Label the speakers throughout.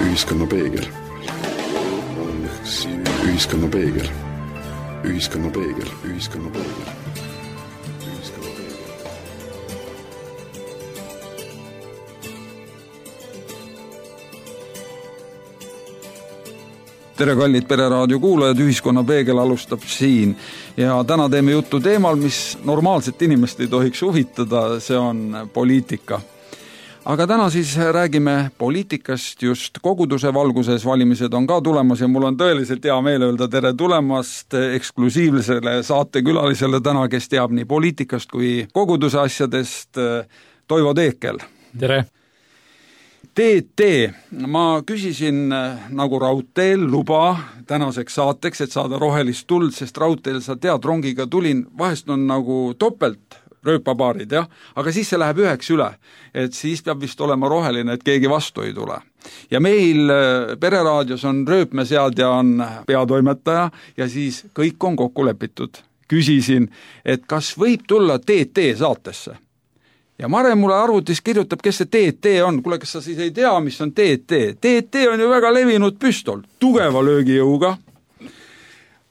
Speaker 1: Ühiskonna peegel. Ühiskonna peegel. Ühiskonna peegel. Ühiskonna peegel.
Speaker 2: Tere kallid Pereraadio kuulajad, Ühiskonna peegel alustab siin ja täna teeme juttu teemal, mis normaalset inimest ei tohiks huvitada, see on poliitika. Aga täna siis räägime poliitikast just koguduse valguses, valimised on ka tulemas ja mul on tõeliselt hea meel öelda tere tulemast eksklusiivsele saatekülalisele täna, kes teab nii poliitikast kui koguduse asjadest, Toivo Teekel.
Speaker 3: Tere!
Speaker 2: TT, ma küsisin nagu raudteel luba tänaseks saateks, et saada rohelist tuld, sest raudteel sa tead, rongiga tulin, vahest on nagu topelt rööpapaarid, jah, aga siis see läheb üheks üle, et siis peab vist olema roheline, et keegi vastu ei tule. Ja meil Pereraadios on rööpmeseadja on peatoimetaja ja siis kõik on kokku lepitud. Küsisin, et kas võib tulla TT saatesse? Ja Mare mulle arvutis kirjutab, kes see TT on. Kuule, kas sa siis ei tea, mis on TT? TT on ju väga levinud püstol, tugeva löögijõuga,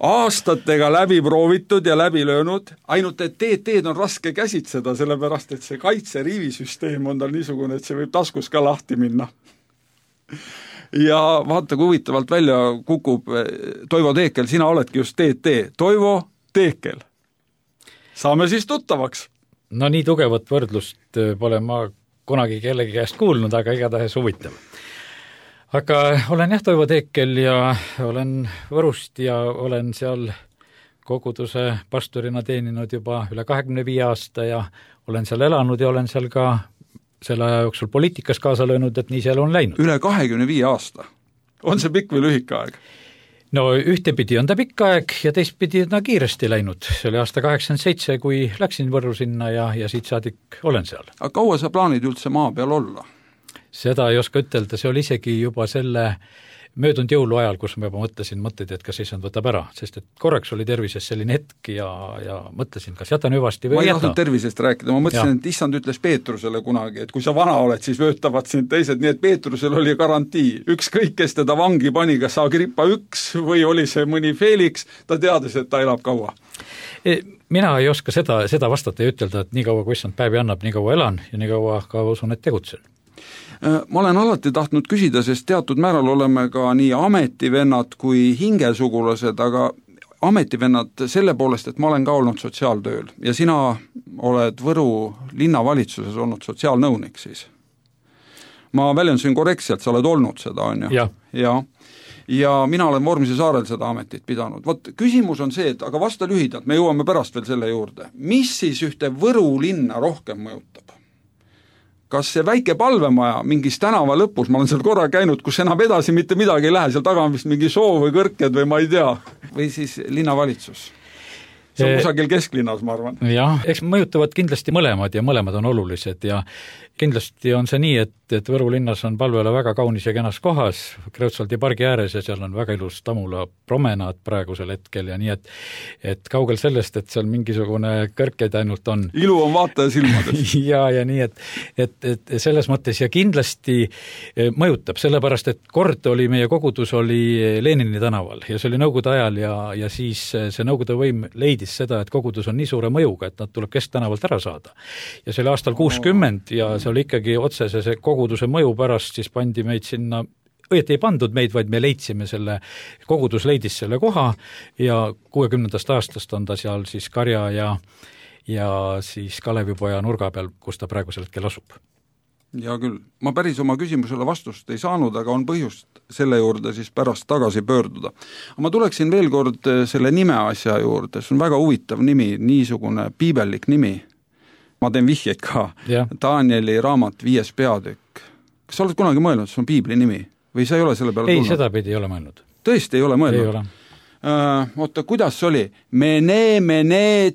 Speaker 2: aastatega läbi proovitud ja läbi löönud, ainult et TT-d on raske käsitseda, sellepärast et see kaitseriivisüsteem on tal niisugune, et see võib taskus ka lahti minna. Ja vaata, kui huvitavalt välja kukub Toivo Teekel, sina oledki just TT. Toivo Teekel. Saame siis tuttavaks.
Speaker 3: No nii tugevat võrdlust pole ma kunagi kellegi käest kuulnud, aga igatahes huvitav. Aga olen jah Toivo Teekel ja olen Võrust ja olen seal koguduse pastorina teeninud juba üle 25 aasta ja olen seal elanud ja olen seal ka selle aja jooksul poliitikas kaasa löönud, et nii seal on läinud.
Speaker 2: Üle 25 aasta? On see pikk või lühike aeg?
Speaker 3: No ühtepidi on ta pikk aeg ja teistpidi on ta kiiresti läinud. See oli aasta 87, kui läksin Võrru sinna ja siit saadik olen seal.
Speaker 2: Aga kaua sa plaanid üldse maa peal olla?
Speaker 3: Seda ei oska ütelda, see oli isegi juba selle möödunud jõulu ajal, kus ma juba mõtlesin mõtteid, et kas issand võtab ära, sest et korraks oli tervises selline hetk ja mõtlesin, kas jätan hüvasti või
Speaker 2: ei jäta. Ma ei
Speaker 3: tahtnud
Speaker 2: tervisest rääkida, ma mõtlesin, et issand ütles Peetrusele kunagi, et kui sa vana oled, siis vöötavad sind teised, nii et Peetrusel oli garantii. Ükskõik, kes teda vangi pani, kas Agrippa 1 või oli see mõni Felix, ta teadis, et ta elab kaua.
Speaker 3: Mina ei oska seda vastata ja ütelda, et nii kaua, kui issand päevi annab, nii kaua elan ja nii kaua ka usun, et tegutsen.
Speaker 2: Ma olen alati tahtnud küsida, sest teatud määral oleme ka nii ametivennad kui hingesugulased, aga ametivennad selle poolest, et ma olen ka olnud sotsiaaltööl ja sina oled Võru linnavalitsuses olnud sotsiaalnõunik siis. Ma väljendusin korrektselt, sa oled olnud seda, on ju? Ja mina olen Vormsi saarel seda ametit pidanud. Vot küsimus on see, et aga vasta lühidalt, me jõuame pärast veel selle juurde. Mis siis ühte Võru linna rohkem mõjutab? Kas see väike palvemaja mingis tänava lõpus, ma olen seal korra käinud, kus enam edasi mitte midagi ei lähe, seal taga on vist mingi soo või kõrked või ma ei tea, või siis linnavalitsus? See on kusagil kesklinnas, ma arvan.
Speaker 3: Jah, eks mõjutavad kindlasti mõlemad ja mõlemad on olulised ja kindlasti on see nii, et Võru linnas on palvele väga kaunis ja kenas kohas, Kreutsaldi pargi ääres ja seal on väga ilus Tamula promenaad praegusel hetkel ja nii, et kaugel sellest, et seal mingisugune kõrkeid ainult on.
Speaker 2: Ilu on vaataja silmades.
Speaker 3: ja nii, et selles mõttes ja kindlasti mõjutab, sellepärast, et kord oli meie kogudus oli Lenini tänaval ja see oli Nõukogude ajal ja siis see Nõukogude võim leidis seda, et kogudus on nii suure mõjuga, et nad tuleb kesktänavalt ära saada. Ja see oli aastal 60 ja see oli ikkagi otsese see koguduse mõju pärast, siis pandi meid sinna, õieti ei pandud meid, vaid me leidsime selle, kogudus leidis selle koha ja 60. aastast on ta seal siis Karja ja siis Kalevipoja nurga peal, kus ta praegusel hetkel asub.
Speaker 2: Ja küll, ma päris oma küsimusele vastust ei saanud, aga on põhjust selle juurde siis pärast tagasi pöörduda. Ma tuleksin veel kord selle nime asja juurde, see on väga huvitav nimi, niisugune piibellik nimi. Ma teen vihjeid ka. Danieli raamat 5. peatükk. Kas sa oled kunagi mõelnud, see on piibli nimi? Või sa ei ole selle peale
Speaker 3: tulnud?
Speaker 2: Ei,
Speaker 3: seda pidi ei ole mõelnud.
Speaker 2: Tõesti ei ole mõelnud?
Speaker 3: Ei ole.
Speaker 2: Oota, kuidas see oli? Mene,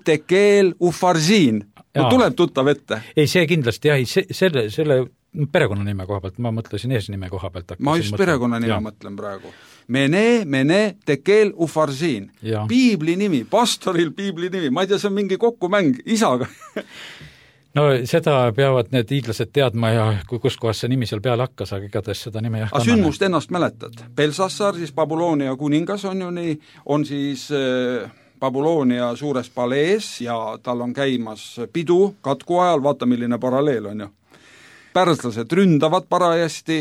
Speaker 2: tekel, ufarziin. No tuleb tuttav ette.
Speaker 3: Ei, see kindlasti, jah, selle perekonnanime koha pealt, ma mõtlesin eesnime koha pealt.
Speaker 2: Ma just perekonnanime mõtlen praegu. Mene, tekel, ufarsiin. Piibli nimi, pastoril piibli nimi, ma ei tea, see on mingi kokkumäng isaga.
Speaker 3: No seda peavad need hiidlased teadma ja kus kohas see nimi seal peale hakkas, aga igatahes seda nime jah.
Speaker 2: Aga sündmust ennast mäletad? Belsassar, siis Babyloonia kuningas on ju nii, on siis Babyloonia suures palees ja tal on käimas pidu katku ajal, vaata milline paralleel on ju. Pärslased ründavad parajasti,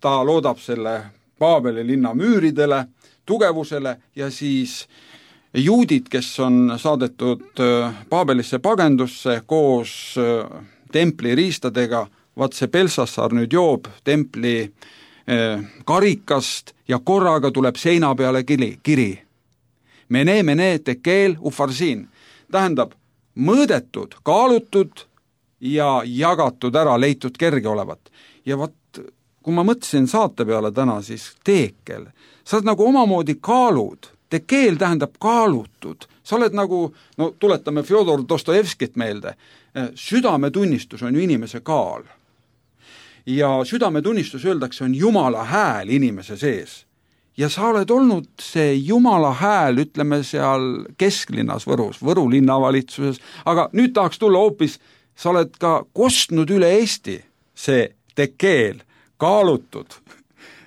Speaker 2: ta loodab selle Paabeli linna müüridele, tugevusele ja siis juudid, kes on saadetud Paabelisse pagendusse koos templi riistadega, vaat see Belsassar nüüd joob templi karikast ja korraga tuleb seina peale kiri. Mene, tekel, ufarsiin. Tähendab, mõõdetud, kaalutud ja jagatud ära, leitud kerge olevat. Ja vaat, kui ma mõtlesin saate peale täna, siis tekel. Sa oled nagu omamoodi kaalud. Tekeel tähendab kaalutud. Sa oled nagu, no tuletame Fjodor Dostojevskit meelde, südametunnistus on ju inimese kaal. Ja südametunnistus öeldakse on Jumala hääl inimese sees. Ja sa oled olnud see Jumala hääl, ütleme seal kesklinnas Võrus, Võru linnavalitsuses, aga nüüd tahaks tulla hoopis, sa oled ka kostnud üle Eesti see tekeel, kaalutud,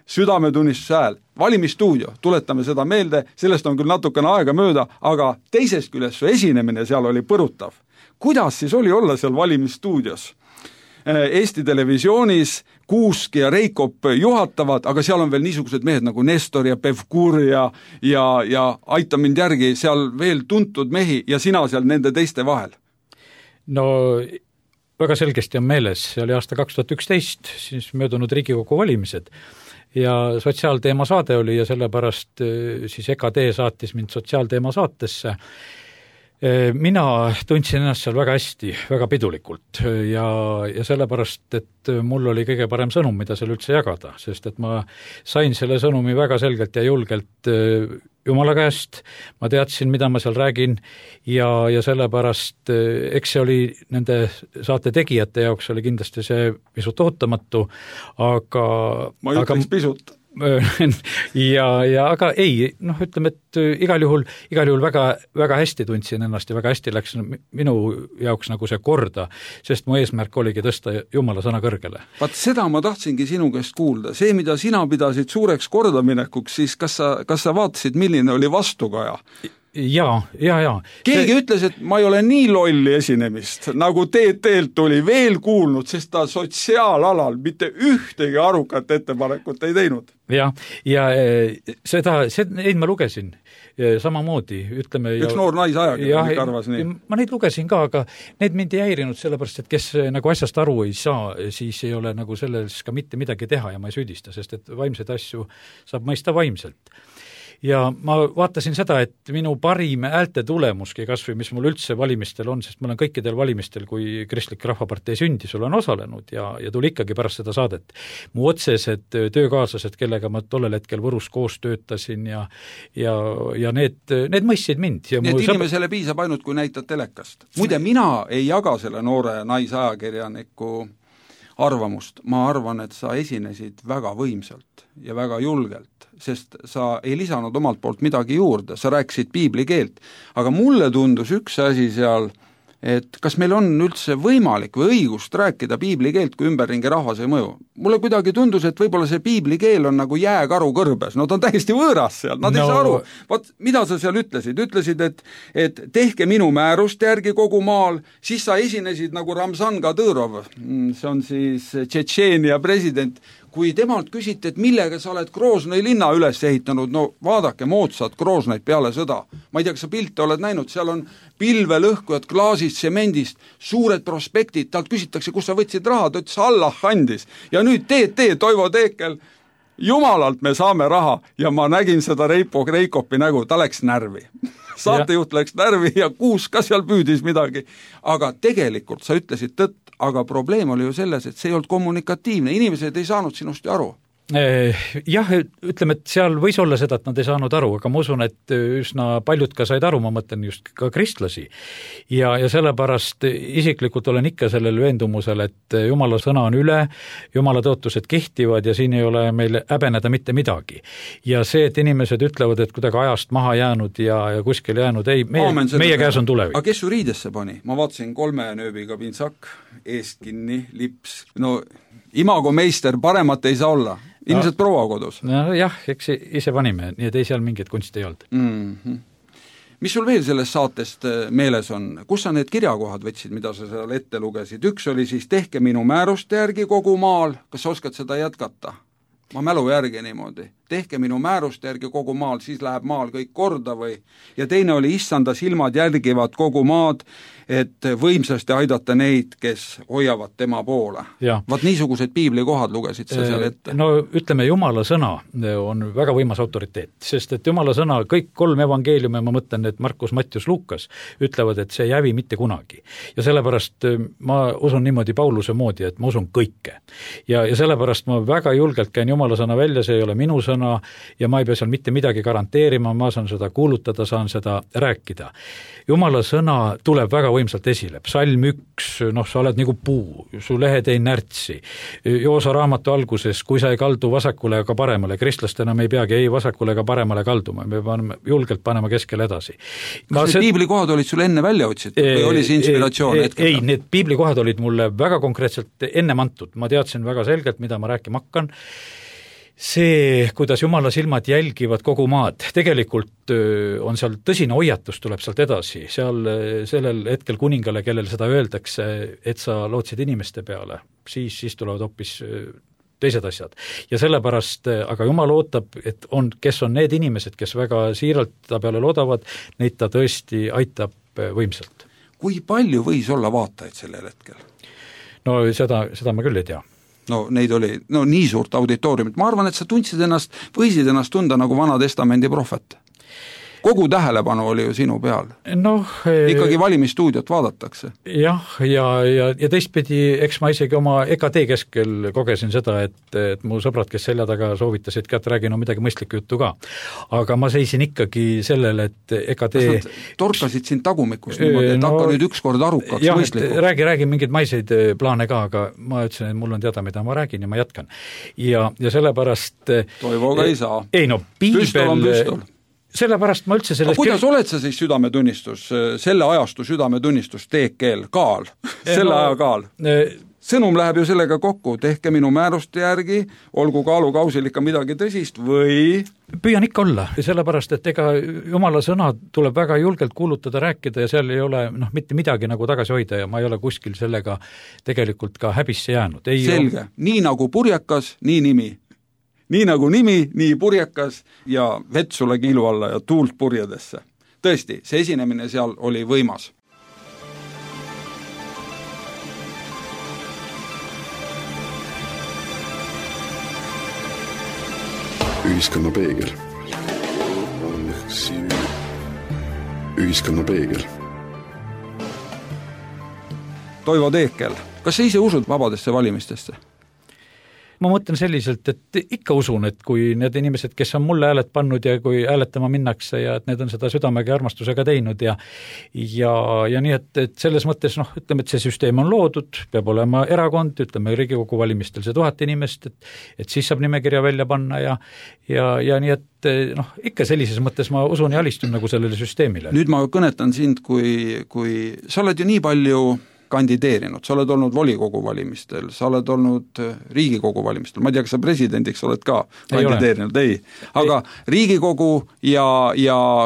Speaker 2: südametunnistuse hääl. Valimisstuudio, tuletame seda meelde, sellest on küll natukene aega mööda, aga teisest küljest su esinemine seal oli põrutav. Kuidas siis oli olla seal valimisstuudios? Eesti televisioonis Kuusk ja Reikop juhatavad, aga seal on veel niisugused mehed nagu Nestor ja Pevkur ja aita mind järgi, seal veel tuntud mehi ja sina seal nende teiste vahel.
Speaker 3: No väga selgesti on meeles, see oli aasta 2011, siis möödunud Riigikogu valimised ja sotsiaalteema saade oli ja sellepärast siis EKD saatis mind sotsiaalteema saatesse. Mina tundsin ennast seal väga hästi, väga pidulikult ja sellepärast, et mul oli kõige parem sõnum, mida seal üldse jagada, sest et ma sain selle sõnumi väga selgelt ja julgelt Jumala käest, ma teadsin, mida ma seal räägin ja sellepärast, eks see oli nende saate tegijate jaoks oli kindlasti see pisut ootamatu, aga
Speaker 2: ma ütleks pisut.
Speaker 3: aga ei, ütleme, et igal juhul väga, väga hästi tundsin ennast ja väga hästi läks minu jaoks nagu see korda, sest mu eesmärk oligi tõsta Jumala sõna kõrgele.
Speaker 2: Vaat seda ma tahtsingi sinu käest kuulda. See, mida sina pidasid suureks kordaminekuks, siis kas sa vaatasid, milline oli vastukaja?
Speaker 3: Ja.
Speaker 2: Keegi ütles, et ma ei ole nii lolli esinemist, nagu TT-lt tuli veel kuulnud, sest ta sotsiaalalal mitte ühtegi arukat ettepanekut ei teinud.
Speaker 3: Ja neid ma lugesin samamoodi, ütleme.
Speaker 2: Üks noor naisajakirjanik arvas nii.
Speaker 3: Ma neid lugesin ka, aga need mind ei häirinud sellepärast, et kes nagu asjast aru ei saa, siis ei ole nagu selles ka mitte midagi teha ja ma ei süüdista, sest et vaimseid asju saab mõista vaimselt. Ja ma vaatasin seda, et minu parim häälte tulemuski kasvõi, mis mul üldse valimistel on, sest ma olen kõikidel valimistel, kui Kristlik Rahvapartei sündis, olen osalenud ja tuli ikkagi pärast seda saadet. Mu otsesed töökaaslased, kellega ma tollel hetkel Võrus koos töötasin ja need mõistsid mind. Ja
Speaker 2: nii et inimesele piisab ainult, kui näitad telekast. Muide, mina ei jaga selle noore naisajakirjaniku arvamust. Ma arvan, et sa esinesid väga võimsalt ja väga julgelt, sest sa ei lisanud omalt poolt midagi juurde, sa rääkisid piibli keelt, aga mulle tundus üks asi seal, et kas meil on üldse võimalik või õigust rääkida piibli keelt, kui ümberringi rahvas ei mõju. Mulle kuidagi tundus, et võib-olla see piibli keel on nagu jääkaru kõrbes, no ta on täiesti võõras seal, nad ei saa aru. Vaat, mida sa seal ütlesid? Ütlesid, et tehke minu määrust järgi kogu maal, siis sa esinesid nagu Ramzan Kadõrov, see on siis Tšetšeenia president, kui temalt küsiti, et millega sa oled Groznoi linna üles ehitanud, no vaadake moodsat Groznoit peale sõda. Ma ei tea, kas sa pilte oled näinud, seal on pilvelõhkujad klaasist, semendist, suured prospektid, talt küsitakse, kus sa võtsid raha, ta ütles, Allah andis. Ja nüüd Toivo Teekel, jumalalt me saame raha ja ma nägin seda Reikopi nägu, ta läks närvi. Saatejuht läks närvi ja Kuus ka seal püüdis midagi, aga tegelikult sa ütlesid tõtt, aga probleem oli ju selles, et see ei olnud kommunikatiivne, inimesed ei saanud sinust aru.
Speaker 3: Jah, ütleme, et seal võis olla seda, et nad ei saanud aru, aga ma usun, et üsna paljud ka said aru, ma mõtlen just ka kristlasi. Ja sellepärast isiklikult olen ikka sellel veendumusel, et Jumala sõna on üle, Jumala tõotused kehtivad ja siin ei ole meil häbeneda mitte midagi. Ja see, et inimesed ütlevad, et kuidagi ajast maha jäänud ja kuskil jäänud, ei, meie käes on tulevik.
Speaker 2: Aga kes su riidesse pani? Ma vaatasin 3 nööbiga pintsak, eest kinni, lips, no imago meister, paremat ei saa olla. Ilmselt proua kodus.
Speaker 3: No jah, eks ise panime, nii et ei seal mingit kunsti ei olnud.
Speaker 2: Mis sul veel sellest saatest meeles on? Kus sa need kirjakohad võtsid, mida sa seal ette lugesid? Üks oli siis tehke minu määruste järgi kogu maal, kas sa oskad seda jätkata? Ma mälu järgi niimoodi. Tehke minu määruste järgi kogu maal, siis läheb maal kõik korda või? Ja teine oli issanda silmad järgivad kogu maad, et võimsasti aidata neid, kes hoiavad tema poole. Vaat niisugused piiblikohad lugesid sa seal ette.
Speaker 3: No ütleme, Jumala sõna on väga võimas autoriteet, sest et Jumala sõna, kõik 3 evangeeliume, ma mõtlen, et Markus, Mattius, Lukas, ütlevad, et see ei hävi mitte kunagi. Ja sellepärast ma usun niimoodi Pauluse moodi, et ma usun kõike. Ja sellepärast ma väga julgelt käin Jumala sõna välja, see ei ole minu sõna ja ma ei pea seal mitte midagi garanteerima, ma saan seda kuulutada, saan seda rääkida. Jumala sõna tuleb väga võimsalt esile. Psalm 1, sa oled nagu puu, su lehed ei närtsi. Joosa raamatu alguses, kui sa ei kaldu vasakule ega paremale, kristlastena me ei peagi ei vasakule ega paremale kalduma, me peame julgelt panema keskel edasi.
Speaker 2: Kas need piiblikohad olid sul enne välja otsitud või oli see inspiratsioon hetkel?
Speaker 3: Ei, need piiblikohad olid mulle väga konkreetselt ennem antud. Ma teadsin väga selgelt, mida ma rääkima hakkan. See, kuidas Jumala silmad jälgivad kogu maad, tegelikult on seal tõsine hoiatus, tuleb sealt edasi. Seal sellel hetkel kuningale, kellel seda öeldakse, et sa lootsid inimeste peale, siis tulevad hoopis teised asjad. Ja sellepärast, aga Jumal ootab, et kes on need inimesed, kes väga siiralt ta peale loodavad, neid ta tõesti aitab võimsalt.
Speaker 2: Kui palju võis olla vaatajaid sellel hetkel?
Speaker 3: No seda ma küll ei tea.
Speaker 2: No neid oli nii suurt auditooriumit. Ma arvan, et sa võisid ennast tunda nagu Vana Testamendi prohvet. Kogu tähelepanu oli ju sinu peal. Ikkagi valimisstuudiot vaadatakse.
Speaker 3: Jah, ja teistpidi, eks ma isegi oma EKD keskel kogesin seda, et mu sõbrad, kes selja taga soovitasid, et räägin midagi mõistlikku juttu ka. Aga ma seisin ikkagi sellele, et EKD... Kas nad
Speaker 2: torkasid sind tagumikust niimoodi, et hakka nüüd ükskord arukaks mõistliku?
Speaker 3: Räägi mingeid maiseid plaane ka, aga ma ütlesin, et mul on teada, mida ma räägin ja ma jätkan. Ja sellepärast...
Speaker 2: Toivoga ei saa.
Speaker 3: Ei
Speaker 2: Püstol on püstol.
Speaker 3: Sellepärast ma üldse sellest...
Speaker 2: Kuidas oled sa siis südametunnistus, selle ajastu südametunnistus, teekeel, kaal, selle aja kaal? Sõnum läheb ju sellega kokku, tehke minu määruste järgi, olgu kaalukausil ikka midagi tõsist või...
Speaker 3: Püüan ikka olla, sellepärast, et ega Jumala sõna tuleb väga julgelt kuulutada, rääkida ja seal ei ole mitte midagi nagu tagasi hoida ja ma ei ole kuskil sellega tegelikult ka häbisse jäänud.
Speaker 2: Selge, nii nagu purjekas, nii nimi. Nii nagu nimi, nii purjekas ja vett sulle kiilu alla ja tuult purjedesse. Tõesti, see esinemine seal oli võimas.
Speaker 1: Ühiskonna peegel. Ühiskonna peegel.
Speaker 2: Toivo Teekel, kas sa ise usud vabadesse valimistesse?
Speaker 3: Ma mõtlen selliselt, et ikka usun, et kui need inimesed, kes on mulle hääled pannud ja kui hääletama minnakse ja et need on seda südamega ja armastusega teinud ja nii, et selles mõttes, ütleme, et see süsteem on loodud, peab olema erakond, ütleme Riigikogu valimistel see 1000 inimest, et siis saab nimekirja välja panna ja nii, et ikka sellises mõttes ma usun ja alistun nagu sellele süsteemile.
Speaker 2: Nüüd ma kõnetan sind, kui sa oled ju nii palju kandideerinud, sa oled olnud volikogu valimistel, sa oled olnud Riigikogu valimistel, ma ei tea, kas sa presidendiks oled ka kandideerinud, ei. Aga Riigikogu ja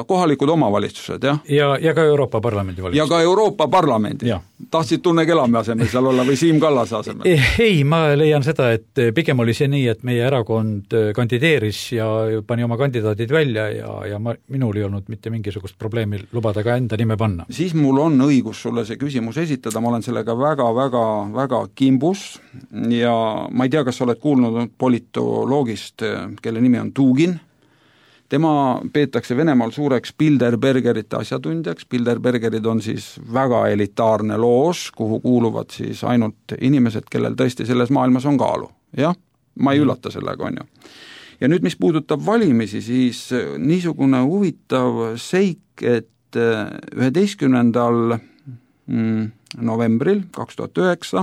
Speaker 2: kohalikud omavalitsused, jah?
Speaker 3: Ja ka Euroopa Parlamendi valimistel.
Speaker 2: Ja ka Euroopa Parlamendi. Tahtsid Tunne Kelame asemel seal olla või Siim Kallase asemel?
Speaker 3: Ei, ma leian seda, et pigem oli see nii, et meie erakond kandideeris ja pani oma kandidaadid välja ja minul ei olnud mitte mingisugust probleemi lubada ka enda nime panna.
Speaker 2: Siis mul on õigus sulle see küsimus esitada, ma olen sellega väga kimbus ja ma ei tea, kas sa oled kuulnud politoloogist, kelle nimi on Dugin. Tema peetakse Venemaal suureks Bilderbergerite asjatundjaks. Bilderbergerid on siis väga elitaarne loos, kuhu kuuluvad siis ainult inimesed, kellel tõesti selles maailmas on kaalu. Jah, ma ei üllata sellega, on ju. Ja nüüd, mis puudutab valimisi, siis niisugune huvitav seik, et 11. novembril 2009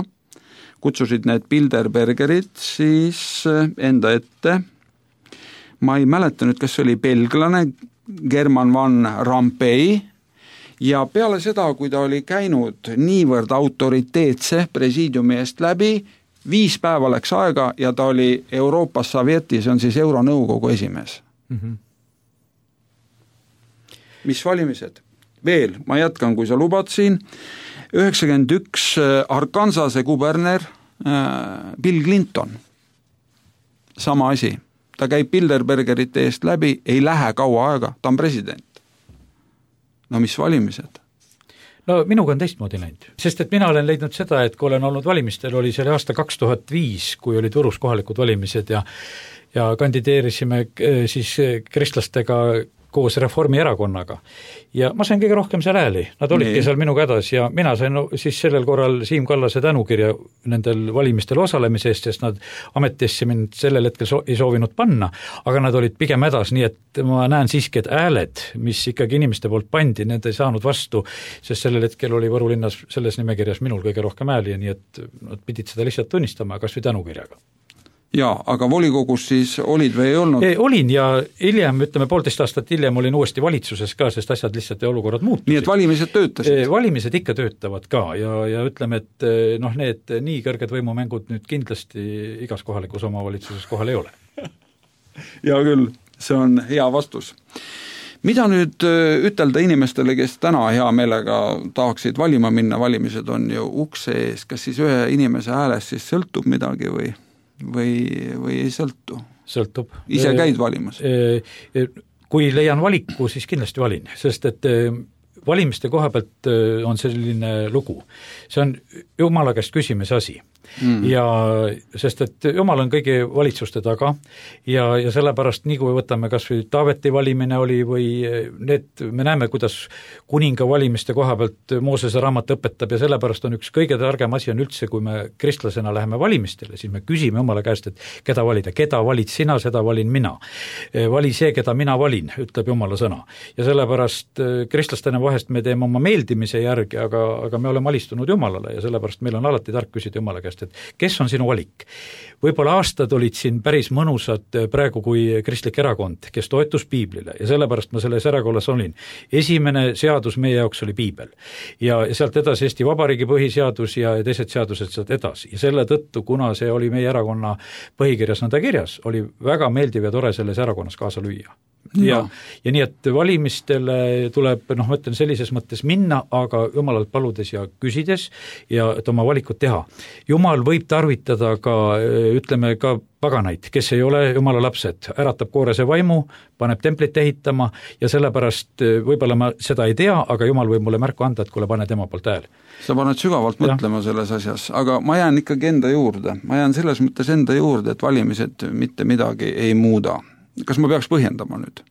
Speaker 2: kutsusid need Bilderbergerid siis enda ette, ma ei mäleta nüüd, kas see oli belglane German van Rompuy, ja peale seda, kui ta oli käinud niivõrd autoriteetse presiidiumi eest läbi, 5 päeva läks aega ja ta oli Euroopas Sovjeti, see on siis Euronõukogu esimees. Mis valimised? Veel, ma jätkan, kui sa lubad siin, 91 Arkansase kuberner Bill Clinton, sama asi, ta käib Bilderbergerite eest läbi, ei lähe kaua aega, ta on president. No mis valimised?
Speaker 3: No minuga on teistmoodi läinud, sest et mina olen leidnud seda, et kui olen olnud valimistel, oli see aasta 2005, kui olid Võrus kohalikud valimised ja kandideerisime siis kristlastega koos Reformierakonnaga. Ja ma sain kõige rohkem seal hääli, nad olidki seal minu kädas ja mina sain siis sellel korral Siim Kallase tänukirja nendel valimistel osalemise eest, sest nad ametisse mind sellel hetkel ei soovinud panna, aga nad olid pigem hädas, nii et ma näen siiski, et hääled, mis ikkagi inimeste poolt pandi, need ei saanud vastu, sest sellel hetkel oli Võru linnas selles nimekirjas minul kõige rohkem hääli, nii et nad pidid seda lihtsalt tunnistama, kas või tänukirjaga.
Speaker 2: Jaa, aga volikogus siis olid või ei olnud?
Speaker 3: Olin ja hiljem, ütleme 1,5 aastat hiljem olin uuesti valitsuses ka, sest asjad lihtsalt ja olukorrad muutusid.
Speaker 2: Nii et valimised töötasid?
Speaker 3: Valimised ikka töötavad ka ja ütleme, et need nii kõrged võimumängud nüüd kindlasti igas kohalikus omavalitsuses kohal ei ole.
Speaker 2: Hea küll, see on hea vastus. Mida nüüd ütelda inimestele, kes täna hea meelega tahaksid valima minna, valimised on ju ukse ees, kas siis ühe inimese häälest siis sõltub midagi või ei sõltu?
Speaker 3: Sõltub.
Speaker 2: Ise käid valimas?
Speaker 3: Kui leian valiku, siis kindlasti valin, sest et valimiste koha pealt on selline lugu. See on Jumala käest küsimise asi. Ja sest et Jumal on kõigi valitsuste taga ja sellepärast nii kui võtame kas või Taaveti valimine oli või need, me näeme, kuidas kuninga valimiste koha pealt Moosese raamat õpetab ja sellepärast on üks kõige targem asi on üldse, kui me kristlasena läheme valimistele, siis me küsime Jumala käest, et keda valida, keda valid sina, seda valin mina. Vali see, keda mina valin, ütleb Jumala sõna. Ja sellepärast kristlastena vahest me teeme oma meeldimise järgi, aga me oleme alistunud Jumalale ja sellepärast meil on alati tark küsida Jumala käest, et kes on sinu valik? Võib-olla aastad olid siin päris mõnusad praegu kui kristlik erakond, kes toetus piiblile ja sellepärast ma selles erakonnas olin. Esimene seadus meie jaoks oli piibel ja sealt edasi Eesti Vabariigi põhiseadus ja teised seadused sealt edasi ja selle tõttu, kuna see oli meie erakonna põhikirjas nõnda kirjas, oli väga meeldiv ja tore selles erakonnas kaasa lüüa. Ja nii, et valimistele tuleb, ma ütlen sellises mõttes minna, aga Jumalalt paludes ja küsides ja et oma valikut teha. Jumal võib tarvitada ka, ütleme ka paganaid, kes ei ole Jumala lapsed, äratab koorese vaimu, paneb templit ehitama ja sellepärast võib-olla ma seda ei tea, aga Jumal võib mulle märku anda, et kuule pane tema poolt hääl.
Speaker 2: Sa paned sügavalt mõtlema selles asjas, aga ma jään ikkagi enda juurde. Ma jään selles mõttes enda juurde, et valimised mitte midagi ei muuda. Kas ma peaks põhjendama nüüd?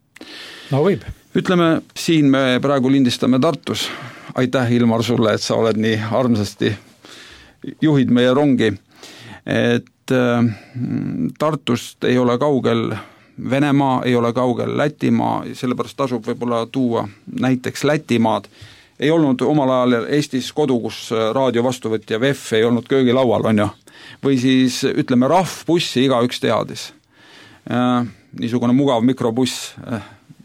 Speaker 3: No võib.
Speaker 2: Ütleme, siin me praegu lindistame Tartus. Aitäh, Ilmar, sulle, et sa oled nii armsasti juhid meie rongi. Et Tartust ei ole kaugel Venemaa, ei ole kaugel Lätimaa, sellepärast tasub võib-olla tuua näiteks Lätimaad. Ei olnud omal ajal Eestis kodu, kus raadio vastuvõtja VEF ei olnud köögilaual, on ju. Või siis ütleme rahvbussi igaüks teadis. Niisugune mugav mikrobuss,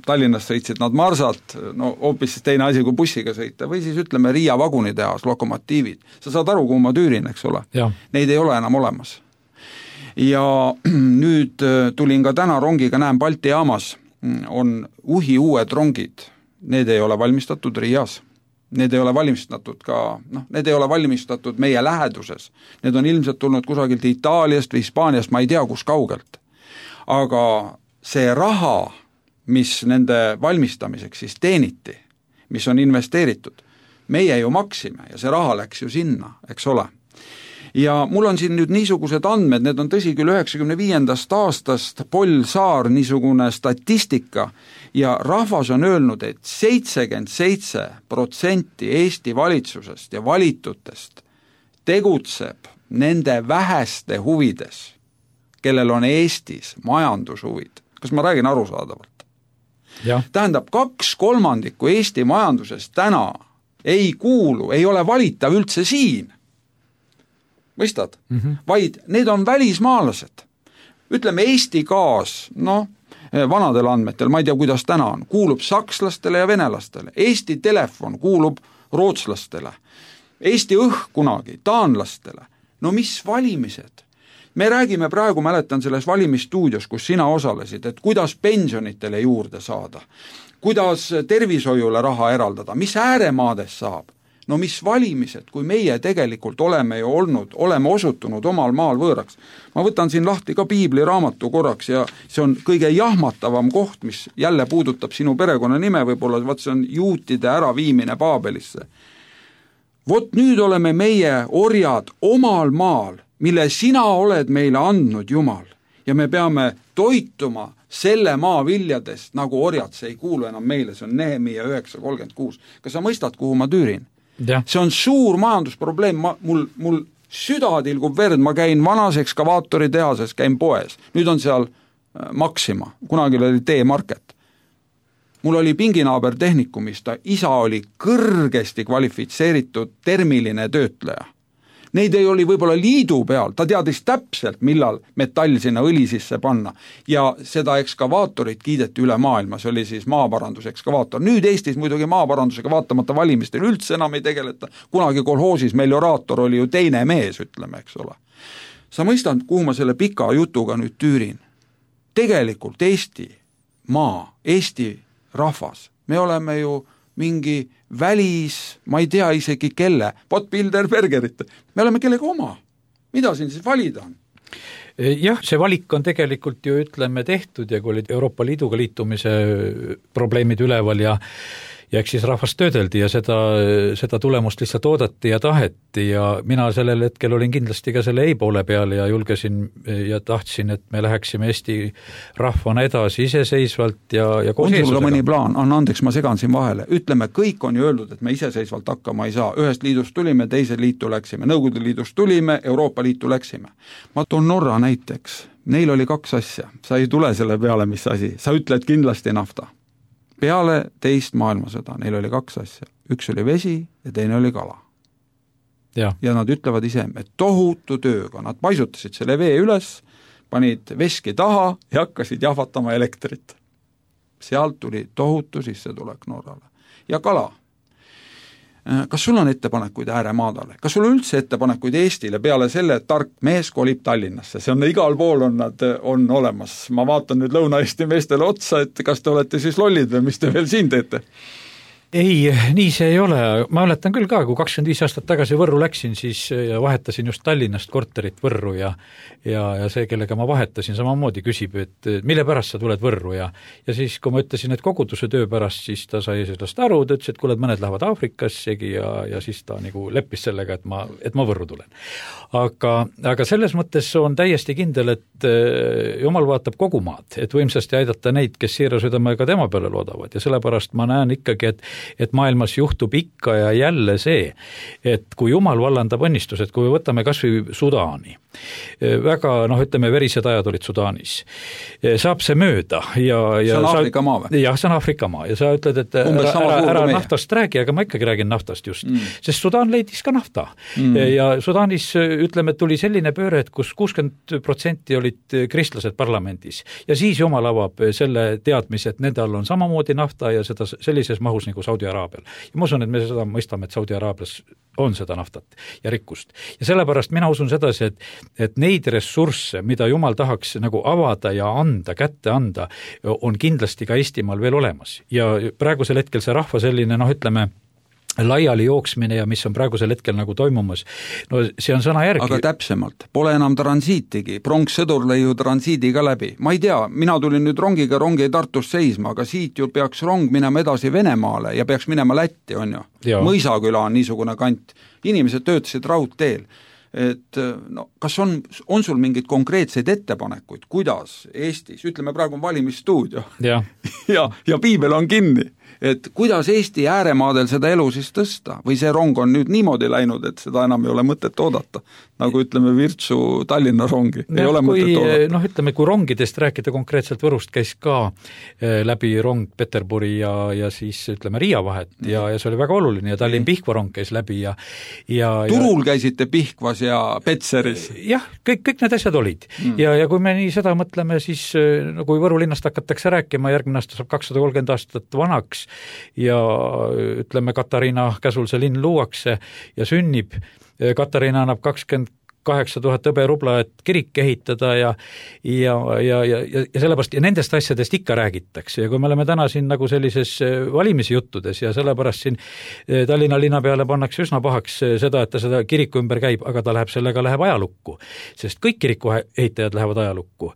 Speaker 2: Tallinnas sõitsid nad marsad, no hoopis teine asi kui bussiga sõita, või siis ütleme Riia vagunitehas, lokomotiivid. Sa saad aru, kuhu ma tüürin, eks ole? Neid ei ole enam olemas. Ja nüüd tulin ka täna rongiga, näen Balti jaamas, on uhi uued rongid, need ei ole valmistatud Riias. Need ei ole valmistatud ka, need ei ole valmistatud meie läheduses. Need on ilmselt tulnud kusagilt Itaaliast või Hispaaniast, ma ei tea, kus kaugelt. Aga see raha, mis nende valmistamiseks siis teeniti, mis on investeeritud, meie ju maksime ja see raha läks ju sinna, eks ole. Ja mul on siin nüüd niisugused andmed, need on tõsi küll 95. aastast Paul Saar niisugune statistika ja rahvas on öelnud, et 77% Eesti valitsusest ja valitutest tegutseb nende väheste huvides, kellel on Eestis majandushuvid. Kas ma räägin arusaadavalt? Tähendab, 2/3 Eesti majandusest täna ei kuulu, ei ole valitav üldse siin. Mõistad? Vaid need on välismaalased. Ütleme, Eesti gaas, vanadel andmetel, ma ei tea, kuidas täna on, kuulub sakslastele ja venelastele. Eesti telefon kuulub rootslastele. Eesti õhk kunagi taanlastele. No mis valimised? Me räägime praegu, mäletan selles valimisstuudios, kus sina osalesid, et kuidas pensionitele juurde saada, kuidas tervishoiule raha eraldada, mis ääremaades saab. No mis valimised, kui meie tegelikult oleme ju oleme osutunud omal maal võõraks. Ma võtan siin lahti ka piibliraamatu korraks ja see on kõige jahmatavam koht, mis jälle puudutab sinu perekonna nime, võib-olla see on juutide äraviimine Paabelisse. Vot nüüd oleme meie orjad omal maal, mille sina oled meile andnud, Jumal, ja me peame toituma selle maa viljadest, nagu orjad, see ei kuulu enam meile, see on Nehemia 9:36. Kas sa mõistad, kuhu ma tüürin? Ja. See on suur majandusprobleem, mul süda tilgub verd, ma käin vanas ekskavaatori tehases, käin poes, nüüd on seal Maxima, kunagi oli T-Market. Mul oli pinginaaber tehnikumist, isa oli kõrgesti kvalifitseeritud termiline töötleja. Neid ei oli võib-olla liidu peal, ta teadis täpselt, millal metall sinna õli sisse panna ja seda ekskavaatorit kiideti üle maailma, see oli siis maaparandus-ekskavaator. Nüüd Eestis muidugi maaparandusega vaatamata valimistel üldse enam ei tegeleta, kunagi kolhoosis melioraator oli ju teine mees, ütleme, eks ole. Sa mõistad, kuhu ma selle pika jutuga nüüd tüürin? Tegelikult Eesti maa, Eesti rahvas, me oleme ju mingi välis, ma ei tea isegi kelle, Bilderbergerit, me oleme kellega oma. Mida siin siis valida on?
Speaker 3: Jah, see valik on tegelikult ju ütleme tehtud ja kui olid Euroopa Liiduga liitumise probleemid üleval ja eks siis rahvast töödeldi ja seda tulemust lihtsalt oodati ja taheti ja mina sellel hetkel olin kindlasti ka selle ei poole peal ja julgesin ja tahtsin, et me läheksime Eesti rahvana edasi iseseisvalt ja koos
Speaker 2: Eestusega. On sul mõni plaan? Andeks, ma segan siin vahele. Ütleme, kõik on ju öeldud, et me iseseisvalt hakkama ei saa. Ühest liidust tulime, teise liitu läksime. Nõukogude liidust tulime, Euroopa Liitu läksime. Ma toon Norra näiteks. Neil oli 2 asja. Sa ei tule selle peale, mis asi. Sa ütled kindlasti nafta. Peale teist maailmasõda neil oli 2 asja. Üks oli vesi ja teine oli kala. Ja nad ütlevad ise, et tohutu tööga. Nad paisutasid selle vee üles, panid veski taha ja hakkasid jahvatama elektrit. Sealt tuli tohutu sissetulek Norrale. Ja kala. Kas sul on ettepanekuid ääremaadale? Kas sul on üldse ettepanekuid Eestile peale selle, et tark mees kolib Tallinnasse? See on igal pool on olemas. Ma vaatan nüüd Lõuna-Eesti meestele otsa, et kas te olete siis lollid või mis te veel siin teete?
Speaker 3: Ei, nii see ei ole. Ma mäletan küll ka, kui 25 aastat tagasi Võrru läksin, siis ja vahetasin just Tallinnast korterit Võrru ja see, kellega ma vahetasin, samamoodi küsib, et mille pärast sa tuled Võrru ja siis, kui ma ütlesin, et koguduse töö pärast, siis ta sai sellest aru, ta ütles, et kuule, mõned lähevad Aafrikassegi ja siis ta nagu leppis sellega, et ma Võrru tulen. Aga selles mõttes on täiesti kindel, et Jumal vaatab kogu maad, et võimsasti aidata neid, kes siira südamega tema peale loodavad ja sellepärast ma näen ikkagi, et maailmas juhtub ikka ja jälle see, et kui Jumal vallandab õnnistused, kui me võtame kas või Sudaani, väga, ütleme, verised ajad olid Sudaanis, saab see mööda ja
Speaker 2: see on Aafrika maa või?
Speaker 3: Jah, see on Aafrika maa ja sa ütled, et ära naftast räägi, aga ma ikkagi räägin naftast just, sest Sudaan leidis ka nafta ja Sudaanis, ütleme, tuli selline pööre, et kus 60% olid kristlased parlamendis ja siis Jumal avab selle teadmise, et nende all on samamoodi nafta ja seda sellises mahus nagu Saudi-Araabial. Ja ma usun, et me seda mõistame, et Saudi-Araabias on seda naftat ja rikkust. Ja sellepärast mina usun sedasi, et neid ressursse, mida Jumal tahaks nagu avada ja anda, kätte anda, on kindlasti ka Eestimaal veel olemas. Ja praegusel hetkel see rahva selline, ütleme, laiali jooksmine ja mis on praegusel hetkel nagu toimumas, no see on sõna järgi.
Speaker 2: Aga täpsemalt, pole enam transiitigi, pronkssõdur lõi ju transiidiga läbi. Ma ei tea, mina tulin nüüd rongiga Tartus seisma, aga siit ju peaks rong minema edasi Venemaale ja peaks minema Lätti, on ju. Mõisaküla on niisugune kant. Inimesed töötasid raudteel. Et kas on sul mingid konkreetseid ettepanekuid, kuidas Eestis, ütleme praegu on valimisstuudio ja piibel on kinni. et kuidas Eesti ääremaadel seda elu siis tõsta või see rong on nüüd niimoodi läinud, et seda enam ei ole mõtet oodata, nagu ütleme Virtsu Tallinna rongi, ei ole mõtet oodata.
Speaker 3: Ütleme, kui rongidest rääkida konkreetselt Võrust käis ka läbi rong Peterburi ja siis ütleme Riia vahet ja see oli väga oluline ja Tallinn-Pihkva rong käis läbi ja
Speaker 2: Turul käisite Pihkvas ja Petseris?
Speaker 3: Jah, kõik need asjad olid. Ja kui me nii seda mõtleme, siis kui Võru linnast hakatakse rääkima, järgmine aasta saab 230 aastat vanaks ja ütleme, Katariina käsul see linn luuakse ja sünnib. Katariina annab 28 000 hõberubla, et kirik ehitada ja sellepärast ja nendest asjadest ikka räägitakse ja kui me oleme täna siin nagu sellises valimisjuttudes ja sellepärast siin Tallinna linna peale pannakse üsna pahaks seda, et ta seda kiriku ümber käib, aga ta läheb ajalukku, sest kõik kiriku ehitajad lähevad ajalukku.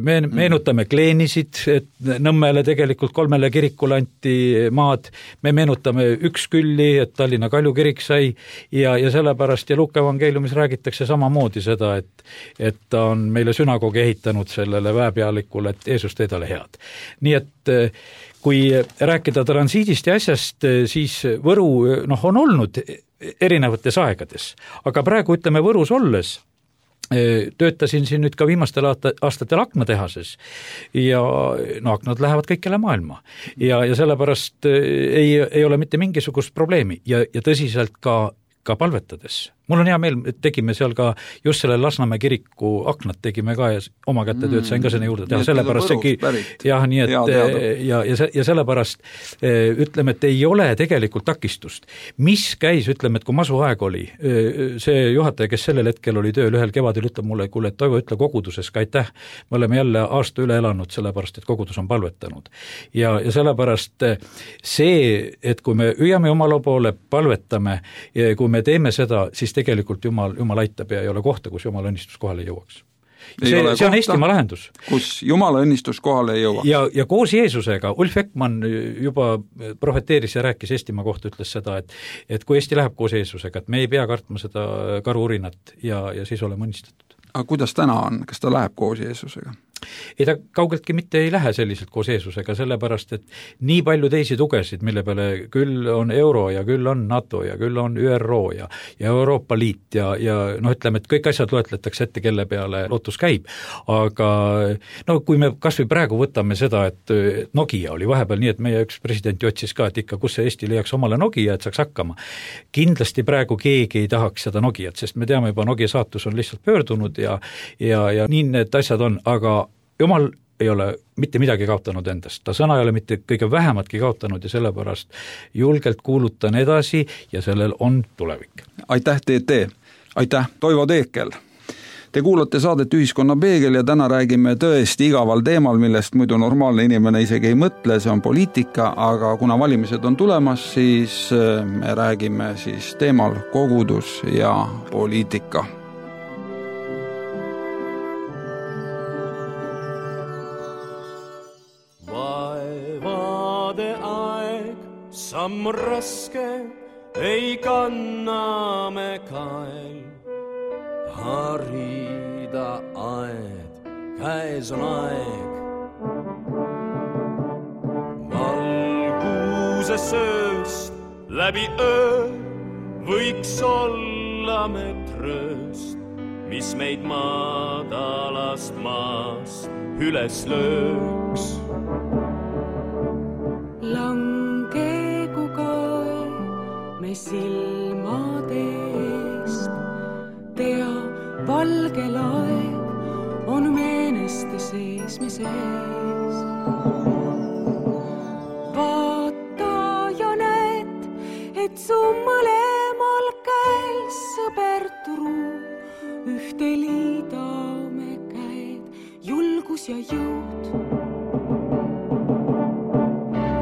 Speaker 3: Me meenutame Kleenisid, et Nõmmele tegelikult 3 kirikule anti maad, me meenutame Ükskülli, et Tallinna Kalju kirik sai ja sellepärast ja Luuka evangeeliumis räägitakse samamoodi seda, et ta on meile sünagoogi ehitanud sellele väepealikule, et Jeesus teed ole head. Nii et kui rääkida transiidist ja asjast, siis Võru on olnud erinevates aegades, aga praegu ütleme Võrus olles, töötasin siin nüüd ka viimastel aastatel aknatehases ja aknad lähevad kõikjale maailma ja sellepärast ei ole mitte mingisugust probleemi ja tõsiselt ka palvetades. Mul on hea meel, et tegime seal ka just selle Lasnamäe kiriku aknad tegime ka ja oma kätte tööd sain ka sinna juurde teha, sellepärast nii et ja sellepärast ütleme, et ei ole tegelikult takistust. Mis käis, ütleme, et kui masuaeg oli, see juhataja, kes sellel hetkel oli tööl ühel kevadel, ütleb mulle, kuule, et Toivo, ütle koguduses ka aitäh, me oleme jälle aasta üle elanud, sellepärast, et kogudus on palvetanud. Ja sellepärast see, et kui me hüüame Jumala poole, palvetame, kui me teeme seda, siis tegelikult Jumal aitab ja ei ole kohta, kus Jumala õnnistus kohale ei jõuaks. See on Eestimaa lahendus.
Speaker 2: Kus Jumala õnnistus kohale ei jõuaks.
Speaker 3: Ja koos Jeesusega, Ulf Ekman juba profeteeris ja rääkis Eestimaa kohta, ütles seda, et kui Eesti läheb koos Jeesusega, et me ei pea kartma seda karuurinat ja siis oleme õnnistatud.
Speaker 2: Aga kuidas täna on, kas ta läheb koos Jeesusega?
Speaker 3: Ei ta kaugeltki mitte ei lähe selliselt koos Jeesusega, sellepärast, et nii palju teisi tugesid, mille peale küll on euro ja küll on NATO ja küll on ÜRO ja Euroopa Liit ja ütleme, et kõik asjad loetletakse ette, kelle peale lootus käib, aga kui me kas või praegu võtame seda, et Nokia oli vahepeal nii, et meie üks president otsis ka, et ikka kus see Eesti leiaks omale Nokia, et saaks hakkama. Kindlasti praegu keegi ei tahaks seda Nokiat, sest me teame juba, Nokia saatus on lihtsalt pöördunud ja nii need asjad on, aga Jumal ei ole mitte midagi kaotanud endast, ta sõna ei ole mitte kõige vähematki kaotanud ja sellepärast julgelt kuulutan edasi ja sellel on tulevik.
Speaker 2: Aitäh, TT! Aitäh, Toivo Teekel! Te kuulate saadet Ühiskonna peegel ja täna räägime tõesti igaval teemal, millest muidu normaalne inimene isegi ei mõtle, see on poliitika, aga kuna valimised on tulemas, siis me räägime siis teemal kogudus ja poliitika.
Speaker 4: Samm raske ei kanna me kael, harida aed, käes on aeg. Valguse sööst läbi öö võiks olla me trööst, mis meid madalast maast üles lööks. Me silmade eest tea valge laev on meeneste sees me sees. Vaata ja näed, et su mõlemal käel sõber truu, ühte liidame käed, julgus ja jõud.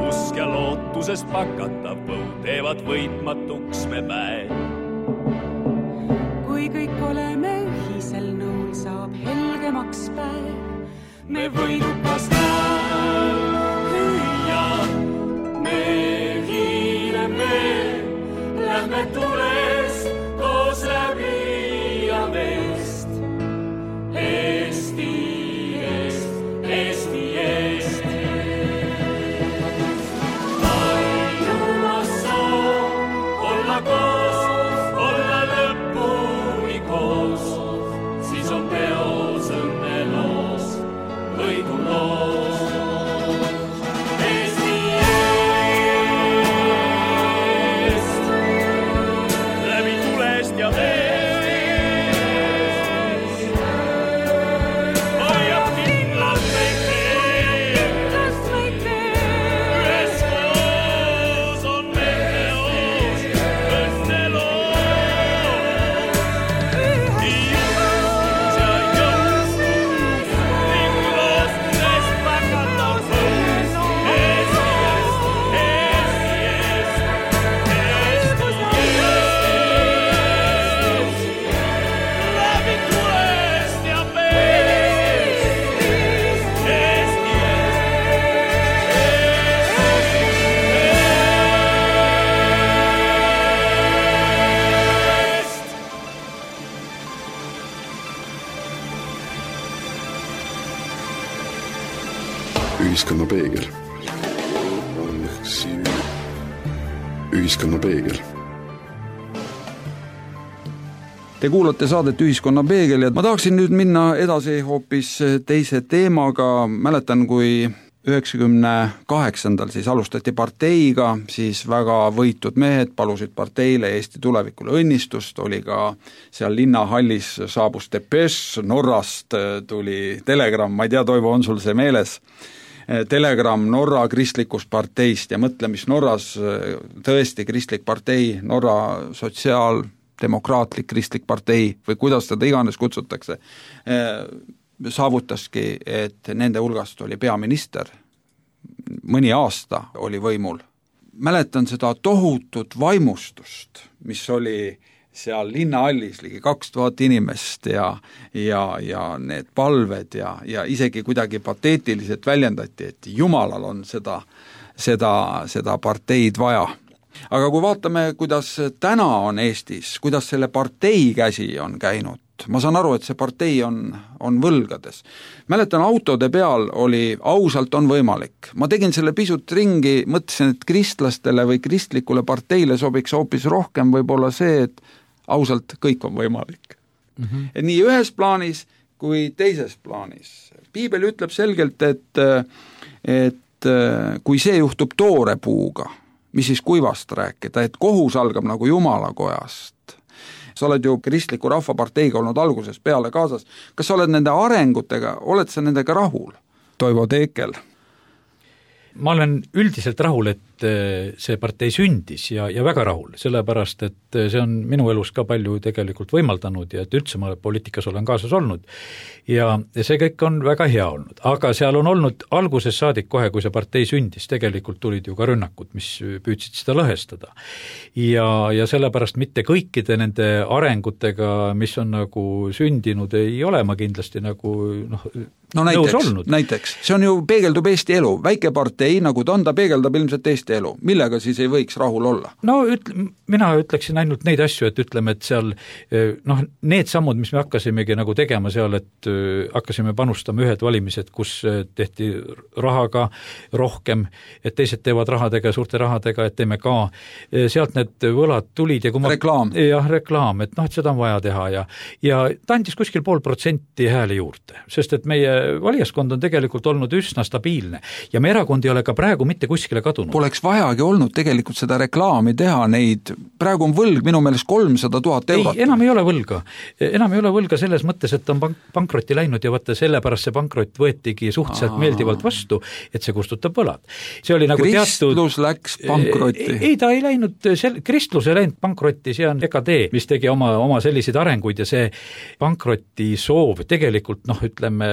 Speaker 4: Usk ja lootusest pakatav põud teevad võitmatuks me päev. Kui kõik oleme ühisel nõul, saab helgemaks päev. Me võidukas hüüa, me hiileme, lähme tulest koos läbi ja vest. Eesti eest, Eesti eest.
Speaker 1: Ühiskonna peegel. Ühiskonna peegel.
Speaker 2: Te kuulate saadet Ühiskonna peegel ja ma tahaksin nüüd minna edasi hoopis teise teemaga. Mäletan, kui 98. siis alustati parteiga, siis väga võitud mehed palusid parteile Eesti tulevikule õnnistust, oli ka seal linnahallis saabus depeš, Norrast tuli telegramm, ma ei tea, Toivo, on sul see meeles? Telegramm Norra kristlikust parteist ja mõtle, mis Norras tõesti kristlik partei, Norra sotsiaaldemokraatlik kristlik partei või kuidas seda iganes kutsutakse, saavutaski, et nende hulgast oli peaminister, mõni aasta oli võimul. Mäletan seda tohutut vaimustust, mis oli seal linnahallis ligi 2000 inimest ja need palved ja isegi kuidagi pateetiliselt väljendati, et Jumalal on seda parteid vaja. Aga kui vaatame, kuidas täna on Eestis, kuidas selle partei käsi on käinud, ma saan aru, et see partei on võlgades. Mäletan, autode peal oli ausalt on võimalik. Ma tegin selle pisut ringi, mõtlesin, et kristlastele või kristlikule parteile sobiks hoopis rohkem võib-olla see, et ausalt kõik on võimalik. Et nii ühes plaanis kui teises plaanis. Piibel ütleb selgelt, et kui see juhtub toore puuga, mis siis kuivast rääkida, et kohus algab nagu Jumala kojast. Sa oled ju kristliku rahvaparteiga olnud algusest peale kaasas. Kas sa oled nende arengutega, oled sa nendega rahul? Toivo Teekel.
Speaker 3: Ma olen üldiselt rahul, et see partei sündis ja väga rahul, sellepärast, et see on minu elus ka palju tegelikult võimaldanud ja et üldse ma poliitikas olen kaasas olnud. Ja see kõik on väga hea olnud, aga seal on olnud alguses saadik kohe, kui see partei sündis, tegelikult tulid ju ka rünnakud, mis püüdsid seda lõhestada. Ja sellepärast mitte kõikide nende arengutega, mis on nagu sündinud, ei ole ma kindlasti nagu
Speaker 2: näiteks, see on ju peegeldub Eesti elu, väike partei, nagu ta peegeldab ilmselt Eesti elu, millega siis ei võiks rahul olla?
Speaker 3: No mina ütleksin ainult neid asju, et ütleme, et seal need sammud, mis me hakkasimegi nagu tegema seal, et hakkasime panustama ühed valimised, kus tehti rahaga rohkem, et teised teevad rahadega, suurte rahadega, et teeme ka, sealt need võlad tulid ja kui
Speaker 2: reklaam,
Speaker 3: et et seda on vaja teha ja ta andis kuskil 0,5% hääli juurde, sest et meie valijaskond on tegelikult olnud üsna stabiilne ja me erakond ei ole ka praegu mitte kuskile kadunud.
Speaker 2: Poleks vajagi olnud tegelikult seda reklaami teha, neid praegu on võlg minu meelest 300 000 eurot.
Speaker 3: Ei, enam ei ole võlga selles mõttes, et on pankrotti läinud ja vaata sellepärast see pankrott võetigi suhteliselt meeldivalt vastu, et see kustutab võlad. See oli nagu
Speaker 2: kristlus läks pankrotti.
Speaker 3: Ei, ta ei läinud, kristlus ei läinud pankrotti, see on EKD, mis tegi oma selliseid arenguid ja see pankroti soov tegelikult, ütleme,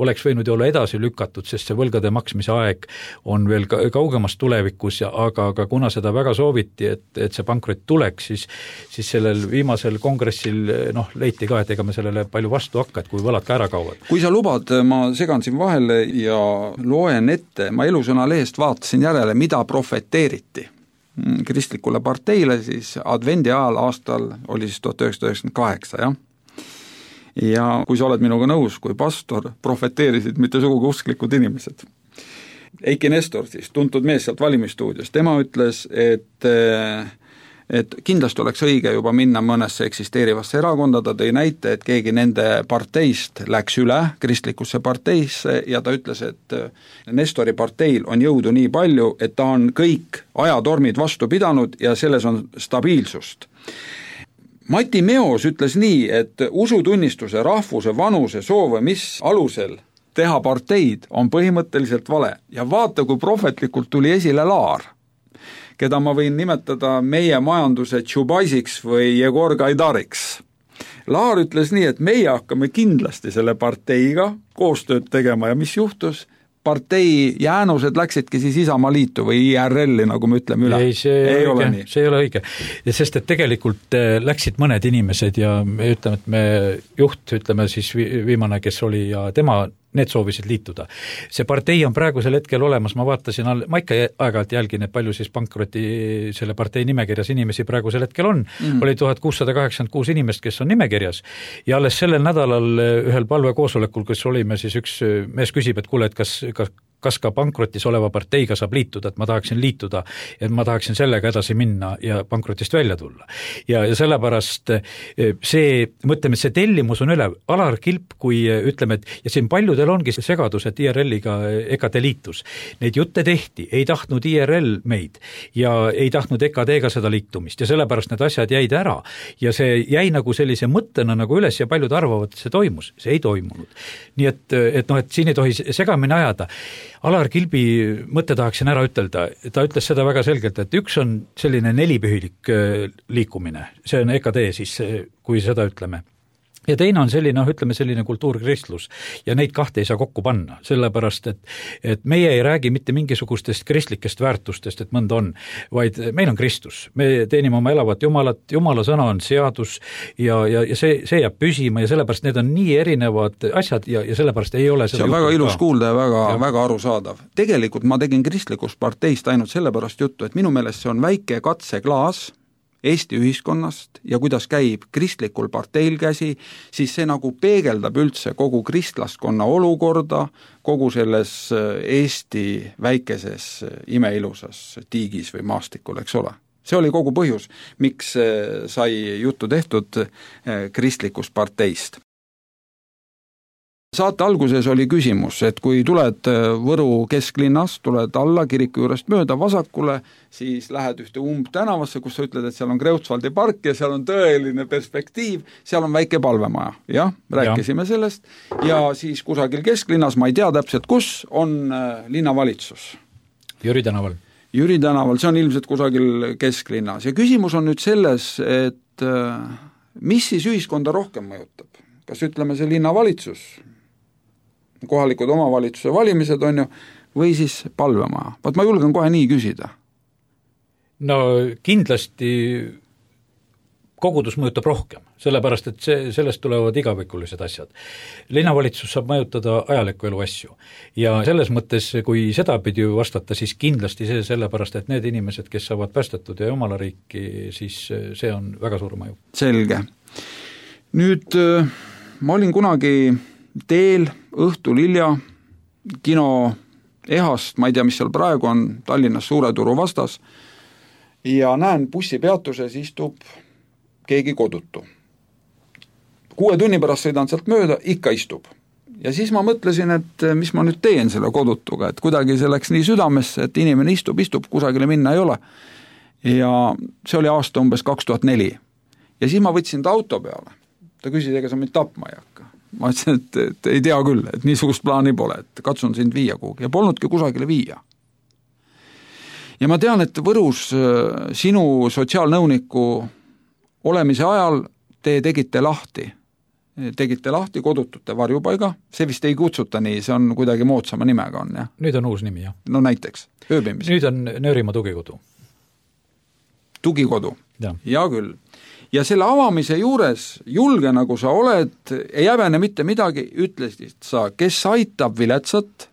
Speaker 3: oleks võinud ju olla edasi lükatud, sest see võlgade maksmise aeg on veel kaugemas tulevikus, aga kuna seda väga sooviti, et see pankrot tuleks, siis sellel viimasel kongressil leiti ka, et ega me sellele palju vastu hakka, et kui võlad ka ära kauvad.
Speaker 2: Kui sa lubad, ma segan siin vahele ja loen ette, ma Elusõna lehest vaatasin järele, mida profeteeriti kristlikule parteile siis advendi ajal aastal oli siis 1998, jah? Ja kui sa oled minuga nõus, kui pastor profeteerisid mitte sugugi usklikud inimesed. Eiki Nestor siis, tuntud mees sealt valimistuudios, tema ütles, et kindlasti oleks õige juba minna mõnesse eksisteerivasse erakonda, ta tõi näite, et keegi nende parteist läks üle kristlikusse parteisse ja ta ütles, et Nestori parteil on jõudu nii palju, et ta on kõik ajatormid vastu pidanud ja selles on stabiilsust. Mati Meos ütles nii, et usutunnistuse, rahvuse, vanuse, soove, mis alusel teha parteid on põhimõtteliselt vale. Ja vaata, kui prohvetlikult tuli esile Laar, keda ma võin nimetada meie majanduse Tšubaisiks või Jegor Gaidariks. Laar ütles nii, et meie hakkame kindlasti selle parteiga koostööd tegema ja mis juhtus? Partei jäänused läksidki siis Isamaa liitu või IRL-i, nagu me ütleme üle.
Speaker 3: Ei, see ei ole õige. Sest et tegelikult läksid mõned inimesed ja ütleme, et me juht, ütleme siis viimane, kes oli ja tema need soovisid liituda. See partei on praegusel hetkel olemas, ma vaatasin, ma ikka aeg-ajalt jälgin, et palju siis pankroti selle partei nimekirjas inimesi praegusel hetkel on. Oli 1686 inimest, kes on nimekirjas ja alles sellel nädalal ühel palvekoosolekul, kus olime, siis üks mees küsib, et kuule, et kas kas ka pankrotis oleva parteiga saab liituda, et ma tahaksin liituda, et ma tahaksin sellega edasi minna ja pankrotist välja tulla. Ja sellepärast see, mõtleme, see tellimus on üle. Alar Kilp, kui ütleme, et ja siin paljudel ongi see segadus, et IRL-iga EKD liitus. Neid jutte tehti, ei tahtnud IRL meid ja ei tahtnud EKD-ga seda liitumist ja sellepärast need asjad jäid ära. Ja see jäi nagu sellise mõttena nagu üles ja paljud arvavad, et see toimus. See ei toimunud. Nii et siin ei tohi segamini ajada. Alar Kilbi mõtte tahaksin ära ütelda, ta ütles seda väga selgelt, et üks on selline nelipühilik liikumine, see on EKD siis, kui seda ütleme. Ja teine on selline, ütleme selline kultuurkristlus ja neid kahte ei saa kokku panna, sellepärast, et meie ei räägi mitte mingisugustest kristlikest väärtustest, et mõnda on, vaid meil on Kristus. Me teenime oma elavat Jumalat, Jumala sõna on seadus ja see jääb püsima ja sellepärast need on nii erinevad asjad ja sellepärast ei ole
Speaker 2: see on väga ilus kuulda ja väga arusaadav. Tegelikult ma tegin kristlikust parteist ainult sellepärast juttu, et minu meelest see on väike katseklaas Eesti ühiskonnast ja kuidas käib kristlikul parteil käsi, siis see nagu peegeldab üldse kogu kristlaskonna olukorda, kogu selles Eesti väikeses imeilusas tiigis või maastikul, eks ole. See oli kogu põhjus, miks sai juttu tehtud kristlikust parteist. Saate alguses oli küsimus, et kui tuled Võru kesklinnas, tuled alla kiriku juurest mööda vasakule, siis lähed ühte tänavasse, kus sa ütled, et seal on Kreutzwaldi park ja seal on tõeline perspektiiv, seal on väike palvemaja. Jah, rääkisime sellest. Ja siis kusagil kesklinnas, ma ei tea täpselt kus, on linnavalitsus.
Speaker 3: Jüri tänaval.
Speaker 2: Jüri tänaval, see on ilmselt kusagil kesklinnas. Ja küsimus on nüüd selles, et mis siis ühiskonda rohkem mõjutab? Kas ütleme see linnavalitsus, kohalikud omavalitsuse valimised on ju, või siis palvemaja. Vaat ma julgen kohe nii küsida.
Speaker 3: No kindlasti kogudus mõjutab rohkem, sellepärast et sellest tulevad igavikulised asjad. Linnavalitsus saab mõjutada ajaliku elu asju ja selles mõttes, kui seda pidi vastata, siis kindlasti see sellepärast, et need inimesed, kes saavad päästetud ja Jumala riiki, siis see on väga suur mõju.
Speaker 2: Selge. Nüüd ma olin kunagi teel õhtul hilja kino Ehast, ma ei tea, mis seal praegu on, Tallinnas Suure Turu vastas, ja näen bussipeatuses istub keegi kodutu. 6 tunni pärast sõidan sealt mööda, ikka istub. Ja siis ma mõtlesin, et mis ma nüüd teen selle kodutuga, et kuidagi see läks nii südamesse, et inimene istub, kusagile minna ei ole. Ja see oli aasta umbes 2004. Ja siis ma võtsin ta auto peale. Ta küsis, ega sa mind tapma ei hakka. Ma ütlesin, et ei tea küll, et niisugust plaani pole, et katsun sind viia kuhugi ja polnudki kusagile viia. Ja ma tean, et Võrus sinu sotsiaalnõuniku olemise ajal te tegite lahti kodutute varjupaiga, see vist ei kutsuta nii, see on kuidagi moodsama nimega on, jah?
Speaker 3: Nüüd on uus nimi, jah.
Speaker 2: No näiteks, ööbimis.
Speaker 3: Nüüd on Nöörimaa tugikodu.
Speaker 2: Tugikodu, ja küll. Ja selle avamise juures, julge nagu sa oled, ei häbene mitte midagi, ütlesid sa, kes aitab viletsat,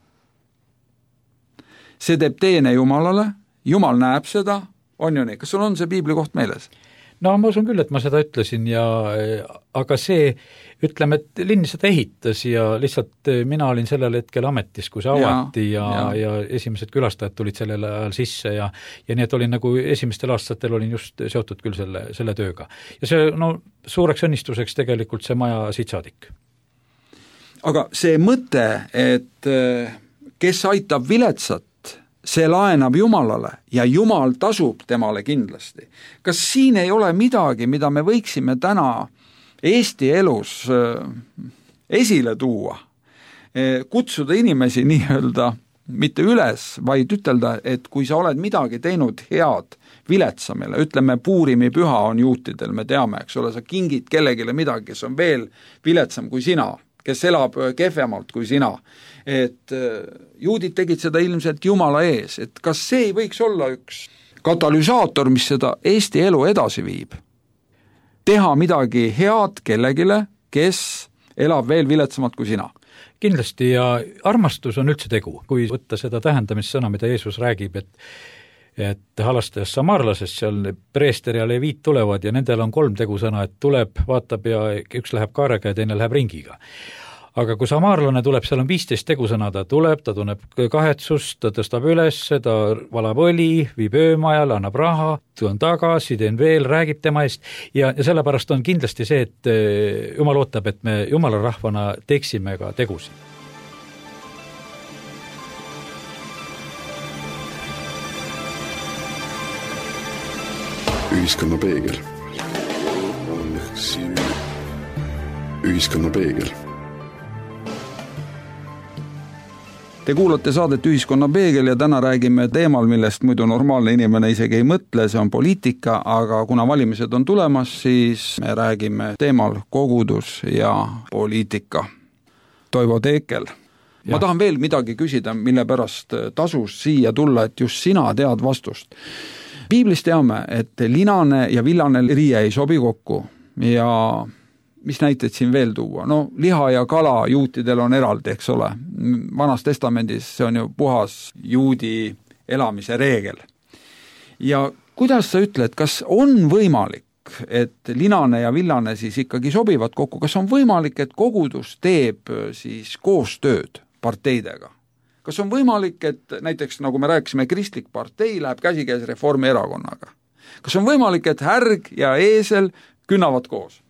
Speaker 2: see teeb teene Jumalale, Jumal näeb seda, on ju nii, kas sul on see piibli koht meeles?
Speaker 3: No ma usun küll, et ma seda ütlesin, aga see, ütleme, et linn seda ehitas ja lihtsalt mina olin sellel hetkel ametis, kui see avati ja esimesed külastajad tulid sellel ajal sisse ja nii, et olin nagu esimestel aastatel olin just seotud küll selle tööga. Ja see, suureks õnnistuseks tegelikult see maja siit saadik.
Speaker 2: Aga see mõte, et kes aitab viletsat, see laenab Jumalale ja Jumal tasub temale kindlasti. Kas siin ei ole midagi, mida me võiksime täna Eesti elus esile tuua? Kutsuda inimesi nii-öelda mitte üles, vaid ütelda, et kui sa oled midagi teinud head viletsamile, ütleme Puurimi püha on juutidel, me teame, eks ole, sa kingid kellegile midagi, kes on veel viletsam kui sina, kes elab kehvemalt kui sina, et juudid tegid seda ilmselt Jumala ees, et kas see ei võiks olla üks katalüsaator, mis seda Eesti elu edasi viib? Teha midagi head kellegile, kes elab veel viletsamalt kui sina?
Speaker 3: Kindlasti ja armastus on üldse tegu, kui võtta seda tähendamissõna, mida Jeesus räägib, et halastajast samaarlasest seal preester ja leviit tulevad ja nendel on 3 tegusõna, et tuleb, vaatab ja üks läheb kaarega ja teine läheb ringiga. aga kui samaarlane tuleb, seal on 15 tegusõna, ta tuleb, ta tunneb kahetsust, ta tõstab üles, ta valab õli, viib öömajal, annab raha, tulen tagasi, teen veel, räägib tema eest ja sellepärast on kindlasti see, et Jumal ootab, et me Jumala rahvana teeksime ka tegusid.
Speaker 1: Ühiskonna peegel. Ühiskonna peegel.
Speaker 2: Te kuulate saadet Ühiskonna peegel ja täna räägime teemal, millest muidu normaalne inimene isegi ei mõtle, see on poliitika, aga kuna valimised on tulemas, siis me räägime teemal kogudus ja poliitika. Toivo Teekel. Ma tahan veel midagi küsida, mille pärast tasus siia tulla, et just sina tead vastust. Piiblist teame, et linane ja villane riie ei sobi kokku ja mis näited siin veel tuua? No liha ja kala juutidel on eraldi, eks ole. Vanas testamendis see on ju puhas juudi elamise reegel. Ja kuidas sa ütled, kas on võimalik, et linane ja villane siis ikkagi sobivad kokku? Kas on võimalik, et kogudus teeb siis koostööd parteidega? Kas on võimalik, et näiteks nagu me rääkisime, kristlik partei läheb käsikäes Reformierakonnaga? Kas on võimalik, et härg ja eesel künnavad koos?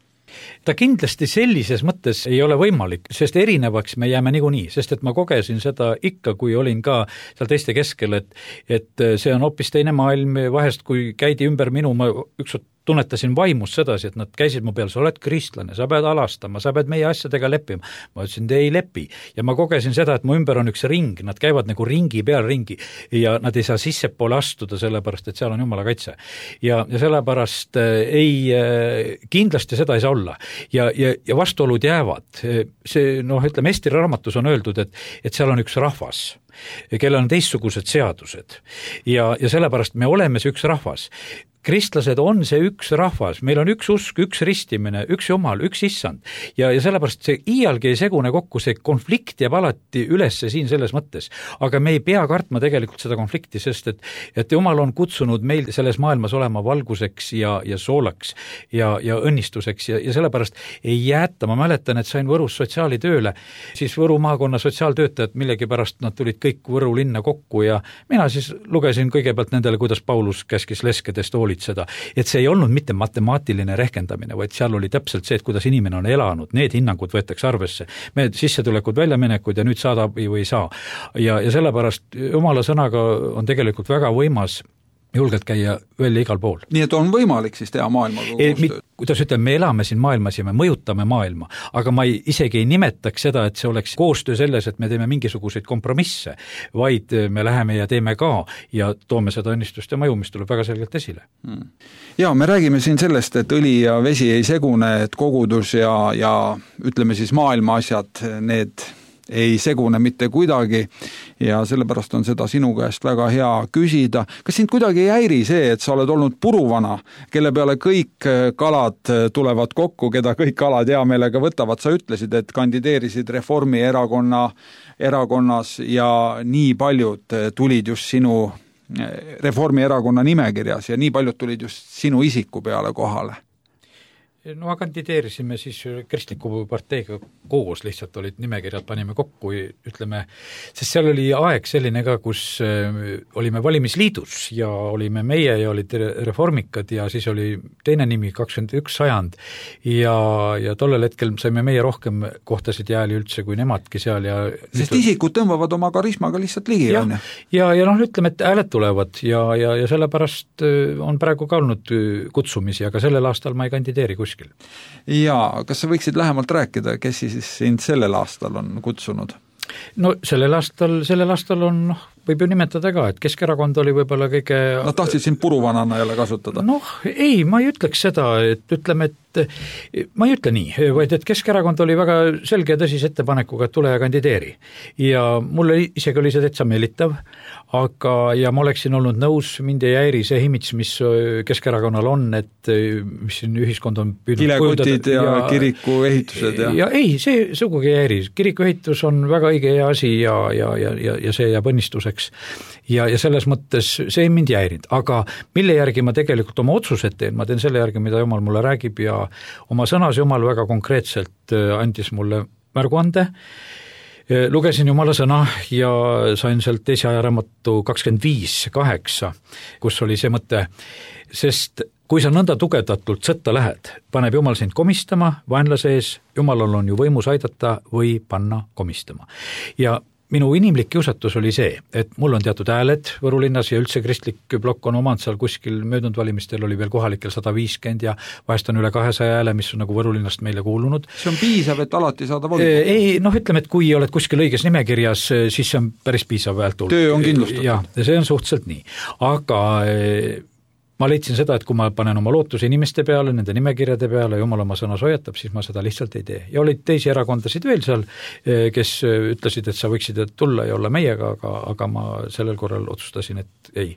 Speaker 3: Ta kindlasti sellises mõttes ei ole võimalik, sest erinevaks me jääme niikuinii, sest et ma kogesin seda ikka, kui olin ka seal teiste keskel, et see on hoopis teine maailm, vahest kui käidi ümber minu, ma ükskord tunnetasin vaimus sedasi, et nad käisid mu peal, sa oled kristlane, sa pead alastama, sa pead meie asjadega leppima. Ma ütlesin, te ei lepi. Ja ma kogesin seda, et mu ümber on üks ring, nad käivad nagu ringi peal ringi ja nad ei saa sissepoole astuda, sellepärast, et seal on Jumala kaitse. Ja sellepärast kindlasti seda ei saa olla. Ja vastuolud jäävad. See, ütleme, Eesti raamatus on öeldud, et seal on üks rahvas, kellel on teistsugused seadused. Ja sellepärast me oleme see üks rahvas. Kristlased on see üks rahvas, meil on üks usk, üks ristimine, üks Jumal, üks issand ja sellepärast see iialgi ei segune kokku, see konflikt jääb alati ülesse siin selles mõttes, aga me ei pea kartma tegelikult seda konflikti, sest et Jumal on kutsunud meil selles maailmas olema valguseks ja soolaks ja õnnistuseks ja sellepärast ei jäeta, ma mäletan, et sain Võrus sotsiaalitööle, siis Võru maakonna sotsiaaltöötajad millegipärast nad tulid kõik Võru linna kokku ja mina siis lugesin kõigepealt nendele, kuidas Paulus käskis leskedest seda, et see ei olnud mitte matemaatiline rehkendamine, vaid seal oli täpselt see, et kuidas inimene on elanud, need hinnangud võetakse arvesse. Me sissetulekud, väljaminekud ja nüüd saadab või ei saa. Ja sellepärast Jumala sõnaga on tegelikult väga võimas julgelt käia välja igal pool.
Speaker 2: Nii et on võimalik siis teha maailmaga koostööd?
Speaker 3: Kuidas ütleme, me elame siin maailmas ja me mõjutame maailma, aga ma isegi ei nimetaks seda, et see oleks koostöö selles, et me teeme mingisuguseid kompromisse, vaid me läheme ja teeme ka ja toome seda õnnistust ja mõju, mis tuleb väga selgelt esile.
Speaker 2: Ja me räägime siin sellest, et õli ja vesi ei segune, et kogudus ja ütleme siis maailma asjad, need ei segune mitte kuidagi ja sellepärast on seda sinu käest väga hea küsida. Kas sind kuidagi ei häiri see, et sa oled olnud puruvana, kelle peale kõik kalad tulevad kokku, keda kõik kalad hea meelega võtavad? Sa ütlesid, et kandideerisid Reformierakonnas ja nii paljud tulid just sinu Reformierakonna nimekirjas ja nii paljud tulid just sinu isiku peale kohale.
Speaker 3: No kandideerisime siis kristliku parteiga koos, lihtsalt olid nimekirjad, panime kokku, ütleme, sest seal oli aeg selline ka, kus olime valimisliidus ja olime meie ja olid reformikad ja siis oli teine nimi 21 sajand ja tollel hetkel saime meie rohkem kohtasid jääli üldse kui nemadki seal. Ja
Speaker 2: sest isikud tõmbavad oma karismaga lihtsalt ligi.
Speaker 3: Ja ütleme, et hääled tulevad ja sellepärast on praegu ka olnud kutsumisi, aga sellel aastal ma ei kandideeri kuskil.
Speaker 2: Ja kas sa võiksid lähemalt rääkida, kes siis sind sellel aastal on kutsunud?
Speaker 3: No sellel aastal on, võib ju nimetada ka, et Keskerakond oli võib-olla kõige...
Speaker 2: Nad tahtsid sind puruvanana jälle kasutada?
Speaker 3: Ei, ma ei ütleks seda, et ütleme, et ma ei ütle nii, vaid et Keskerakond oli väga selge ja tõsise ettepanekuga, et tule ja kandideeri. Ja mulle isegi oli see täitsa meelitav, ja ma oleksin olnud nõus, mind ei häiri see imidž, mis Keskerakonnal on, et mis siin ühiskond on püüdnud
Speaker 2: kilekotid ja kiriku ehitused.
Speaker 3: Ja ei, see sugugi ei häiri. Kiriku ehitus on väga õige hea asi ja see jääb õnnistuseks. Ja selles mõttes see ei mind jäirinud, aga mille järgi ma tegelikult oma otsused teen, ma teen selle järgi, mida Jumal mulle räägib ja oma sõnas Jumal väga konkreetselt andis mulle märguande, lugesin Jumala sõna ja sain sealt teise ajaraamatu 25:8, kus oli see mõte, sest kui sa nõnda tugevdatult sõtta lähed, paneb Jumal sind komistama vaenlase ees, Jumalal on ju võimus aidata või panna komistama. Ja minu inimlik kiusatus oli see, et mul on teatud hääled Võru linnas ja üldse kristlik plokk on omand seal kuskil möödunud valimistel oli veel kohalikel 150 ja vahest on üle 200 hääle, mis on nagu Võru linnast meile kuulunud.
Speaker 2: See on piisav, et alati saada volikogu?
Speaker 3: Ei, ütleme, et kui oled kuskil õiges nimekirjas, siis see on päris piisav häält.
Speaker 2: Töö on kindlustatud.
Speaker 3: Ja see on suhteliselt nii. Aga ma leidsin seda, et kui ma panen oma lootuse inimeste peale, nende nimekirjade peale, Jumal oma sõnas hoiatab, siis ma seda lihtsalt ei tee. Ja olid teisi erakondasid veel seal, kes ütlesid, et sa võiksid tulla ja olla meiega, aga ma sellel korral otsustasin, et ei.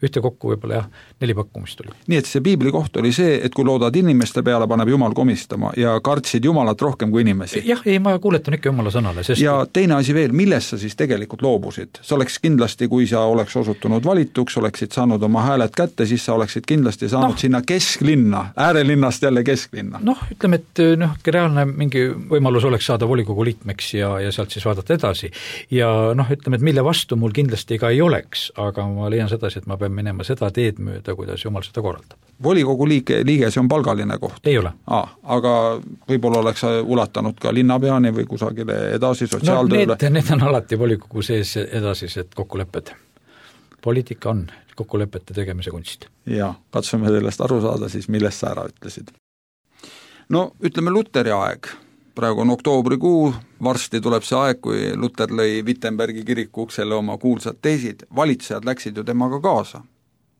Speaker 3: Ühtekokku võib-olla 4 pakkumist oli.
Speaker 2: Nii et see piibli koht oli see, et kui loodad inimeste peale, paneb Jumal komistama ja kartsid Jumalat rohkem kui inimesi.
Speaker 3: Jah, ei, ma kuuletan ikka Jumala sõnale. Sest... Ja
Speaker 2: teine asi veel, millest sa siis tegelikult loobusid? Sa oleks kindlasti, kui sa oleks osutunud valituks, oleksid saanud oma hääled kätte, siis sa oleksid kindlasti saanud sinna kesklinna, äärelinnast jälle kesklinna. Ütleme,
Speaker 3: et reaalne mingi võimalus oleks saada volikogu liikmeks ja sealt siis vaadata edasi. Ja ütleme, et mille vastu mul kindlasti ka ei oleks, aga ma leian sedasi, et ma pean minema seda teed mööda, kuidas Jumal seda korraldab.
Speaker 2: Volikogu liige, see on palgaline koht?
Speaker 3: Ei ole.
Speaker 2: Aga võib-olla oleks ulatanud ka linnapeani või kusagile edasi sotsiaaltööle?
Speaker 3: Need on alati volikogu sees edasised kokkulepped. Poliitika on kokkulepete tegemise kunst.
Speaker 2: Ja, katsume sellest aru saada siis, millest sa ära ütlesid. Ütleme Luteri aeg. Praegu on oktoobrikuu, varsti tuleb see aeg, kui Luter lõi Wittenbergi kiriku uksele oma kuulsad teesid. Valitsejad läksid ju temaga kaasa.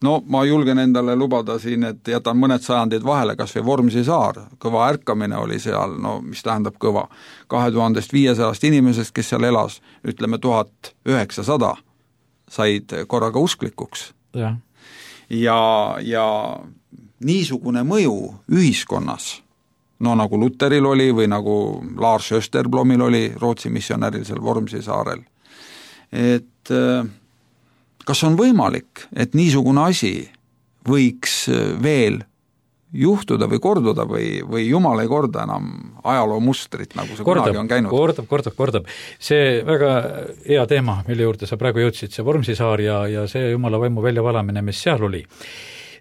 Speaker 2: Ma julgen endale lubada siin, et jätan mõned sajandid vahele, kas või Vormsi saar. Kõva ärkamine oli seal, mis tähendab kõva. 2500 inimesest, kes seal elas, ütleme 1900, said korraga usklikuks. Ja niisugune mõju ühiskonnas, nagu Luteril oli või nagu Lars Österblomil oli Rootsi missionäril seal Vormsi saarel. Et kas on võimalik, et niisugune asi võiks veel juhtuda või korduda või Jumal ei korda enam ajaloo mustrit, nagu see kunagi on käinud?
Speaker 3: Kordab. See väga hea teema, mille juurde sa praegu jõudsid, see Vormsi saar ja see Jumala vaimu väljavalamine, mis seal oli.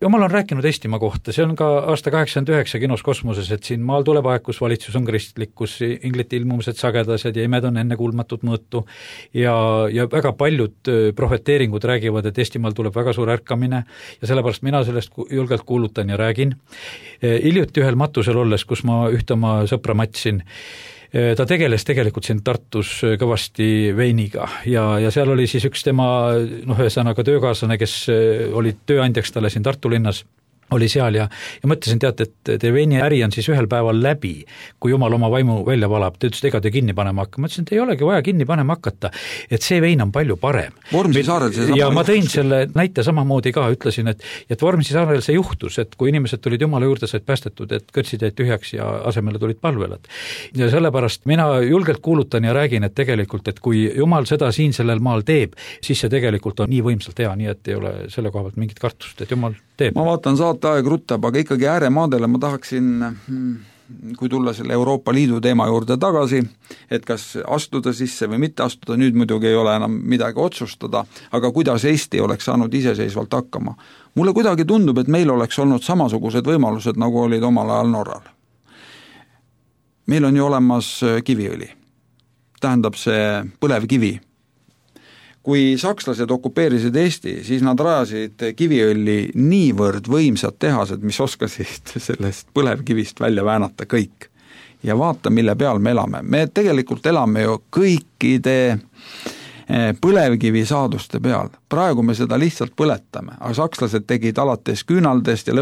Speaker 3: Jumal on rääkinud Eestimaa kohta, see on ka aasta 89 kinos Kosmoses, et siin maal tuleb aeg, kus valitsus on kristlik, kus inglite ilmumised sagedased ja imed on ennekuulmatut mõõtu ja väga paljud profeteeringud räägivad, et Eestimaal tuleb väga suur ärkamine ja sellepärast mina sellest julgelt kuulutan ja räägin. Hiljuti ühel matusel olles, kus ma ühte oma sõpra matsin, ta tegeles tegelikult siin Tartus kõvasti veiniga ja seal oli siis üks tema ühesõnaga töökaaslane, kes oli tööandjaks talle siin Tartu linnas, oli seal ja mõtlesin, teate, et te veini äri on siis ühel päeval läbi, kui Jumal oma vaimu välja valab. Te ütlesid, ega te kinni panema hakka. Ma ütlesin, et ei olegi vaja kinni panema hakata, et see vein on palju parem.
Speaker 2: Vormsi saarel see
Speaker 3: ja ma tõin selle näite samamoodi ka, ütlesin, et Vormsi saarel see juhtus, et kui inimesed tulid Jumala juurde, said päästetud, et kõrtsid jäid tühjaks ja asemele tulid palvelad. Ja sellepärast mina julgelt kuulutan ja räägin, et tegelikult, et kui Jumal seda siin sellel maal teeb, siis see tegelikult on nii võimsalt hea, nii et ei ole selle koha pealt mingit kartust, et Jumal teeb.
Speaker 2: Ma vaatan aeg ruttab, aga ikkagi ääremaadele ma tahaksin, kui tulla selle Euroopa Liidu teema juurde tagasi, et kas astuda sisse või mitte astuda, nüüd muidugi ei ole enam midagi otsustada, aga kuidas Eesti oleks saanud iseseisvalt hakkama. Mulle kuidagi tundub, et meil oleks olnud samasugused võimalused, nagu olid omal ajal Norral. Meil on ju olemas kiviõli, tähendab see põlevkivi. Kui sakslased okupeerisid Eesti, siis nad rajasid kiviõlli niivõrd võimsad tehased, mis oskasid sellest põlevkivist välja väänata kõik. Ja vaata, mille peal me elame. Me tegelikult elame ju kõikide põlevkivi saaduste peal. Praegu me seda lihtsalt põletame, aga sakslased tegid alates küünaldest ja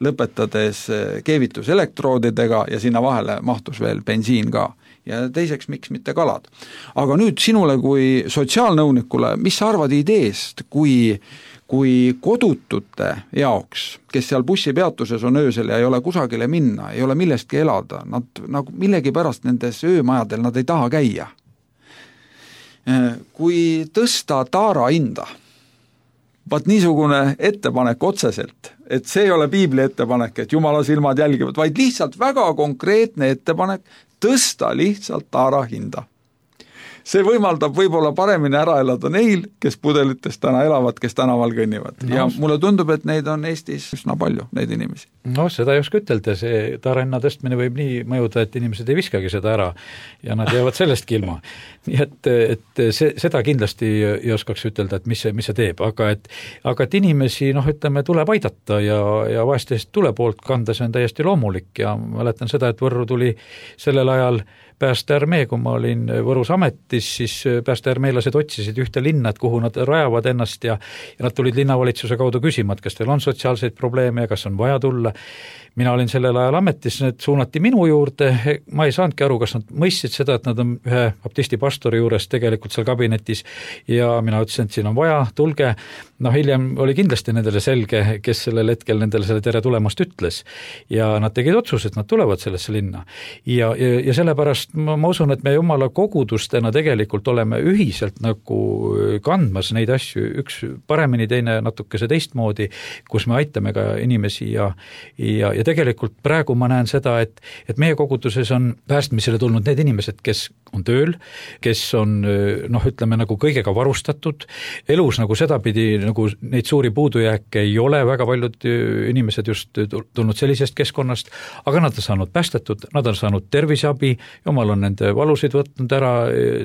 Speaker 2: lõpetades keevituselektroodidega ja sinna vahele mahtus veel bensiin ka. Ja teiseks, miks mitte kalad. Aga nüüd sinule kui sotsiaalnõunikule, mis sa arvad ideest, kui kodutute jaoks, kes seal bussipeatuses on öösel ja ei ole kusagile minna, ei ole millestki elada, nad nagu millegi pärast nendes öömajadel nad ei taha käia. Kui tõsta taara hinda, vaat niisugune ettepanek otseselt, et see ei ole piibli ettepanek, et Jumala silmad jälgivad, vaid lihtsalt väga konkreetne ettepanek tõsta lihtsalt taara hinda. See võimaldab võib-olla paremini ära elada neil, kes pudelites täna elavad, kes tänaval kõnnivad. Ja mulle tundub, et neid on Eestis üsna palju, neid inimesi.
Speaker 3: No seda ei oska ütelda, see taara hinna tõstmine võib nii mõjuda, et inimesed ei viskagi seda ära ja nad jäävad sellest ilma. Nii et seda kindlasti ei oskaks ütelda, et mis see teeb, aga et inimesi, ütleme, tuleb aidata ja vahest tule poolt kanda, see on täiesti loomulik ja mäletan seda, et Võrru tuli sellel ajal päästearmee, kui ma olin Võrus ametis, siis päästearmeelased otsisid ühte linna, et kuhu nad rajavad ennast ja nad tulid linnavalitsuse kaudu küsima, et kas teil on sotsiaalseid probleeme ja kas on vaja tulla. Mina olin sellel ajal ametis, need suunati minu juurde, ma ei saanudki aru, kas nad mõistsid seda, et nad on ühe baptisti pastori juures tegelikult seal kabinetis ja mina ütlesin, et siin on vaja, tulge. Hiljem oli kindlasti nendele selge, kes sellel hetkel nendele selle tere tulemast ütles ja nad tegid otsuse, et nad tulevad sellesse linna. Ja sellepärast ma usun, et me jumala kogudustena tegelikult oleme ühiselt nagu kandmas neid asju, üks paremini, teine natukese teistmoodi, kus me aitame ka inimesi ja tegelikult praegu ma näen seda, et meie koguduses on päästmisele tulnud need inimesed, kes on tööl, kes on, ütleme, nagu kõigega varustatud, elus nagu sedapidi, nagu neid suuri puudujääke ei ole, väga paljud inimesed just tulnud sellisest keskkonnast, aga nad on saanud päästetud, nad on saanud terviseabi, jumal on nende valusid võtnud ära,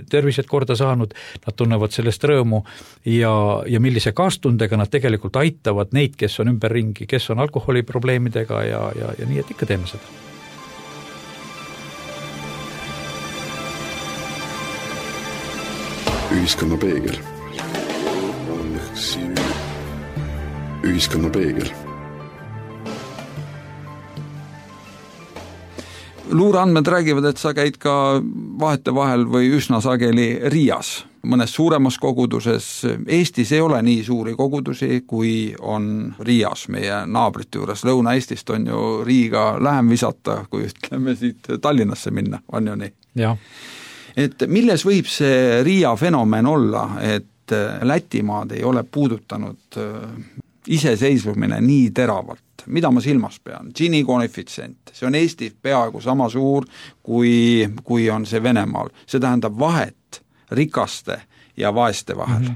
Speaker 3: tervised korda saanud, nad tunnevad sellest rõõmu ja millise kaastundega nad tegelikult aitavad neid, kes on ümberringi, kes on alkoholiprobleemidega ja nii, et ikka teeme seda.
Speaker 1: Ühiskonna peegel. Ühiskonna peegel.
Speaker 2: Luureandmed räägivad, et sa käid ka vahetevahel või üsna sageli Riias, mõnes suuremas koguduses. Eestis ei ole nii suuri kogudusi, kui on Riias meie naabrite juures. Lõuna-Eestist on ju Riiga lähem visata, kui ütleme siit Tallinnasse minna, on ju nii?
Speaker 3: Jah.
Speaker 2: Et milles võib see Riia fenomen olla, et Lätimaad ei ole puudutanud iseseisvumine nii teravalt? Mida ma silmas pean? Gini koefitsient, see on Eestis peaaegu sama suur, kui on see Venemaal. See tähendab vahet rikaste ja vaeste vahel.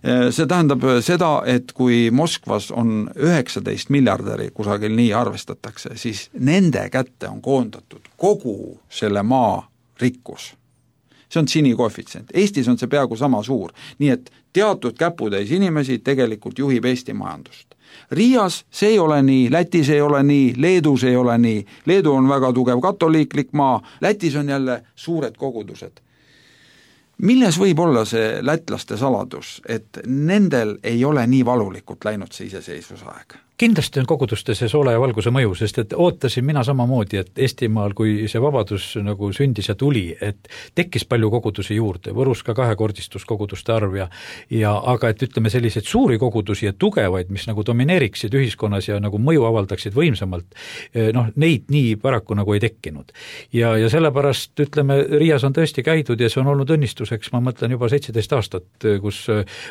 Speaker 2: See tähendab seda, et kui Moskvas on 19 miljardäri, kusagil nii arvestatakse, siis nende kätte on koondatud kogu selle maa rikkus. See on Gini koefitsient. Eestis on see peaaegu sama suur, nii et teatud käputäis inimesi tegelikult juhib Eesti majandust. Riias see ei ole nii, Lätis ei ole nii, Leedus ei ole nii. Leedu on väga tugev katoliiklik maa, Lätis on jälle suured kogudused. Milles võib olla see lätlaste saladus, et nendel ei ole nii valulikult läinud see iseseisvusaeg?
Speaker 3: Kindlasti on kogudustes see soole ja valguse mõju, sest et ootasin mina samamoodi, et Eestimaal, kui see vabadus nagu sündis ja tuli, et tekkis palju kogudusi juurde, Võrus ka kahekordistus koguduste arv aga et ütleme selliseid suuri kogudusi ja tugevaid, mis nagu domineeriksid ühiskonnas ja nagu mõju avaldaksid võimsamalt, neid nii paraku nagu ei tekkinud. Ja sellepärast ütleme, Riias on tõesti käidud ja see on olnud õnnistuseks, ma mõtlen juba 17 aastat, kus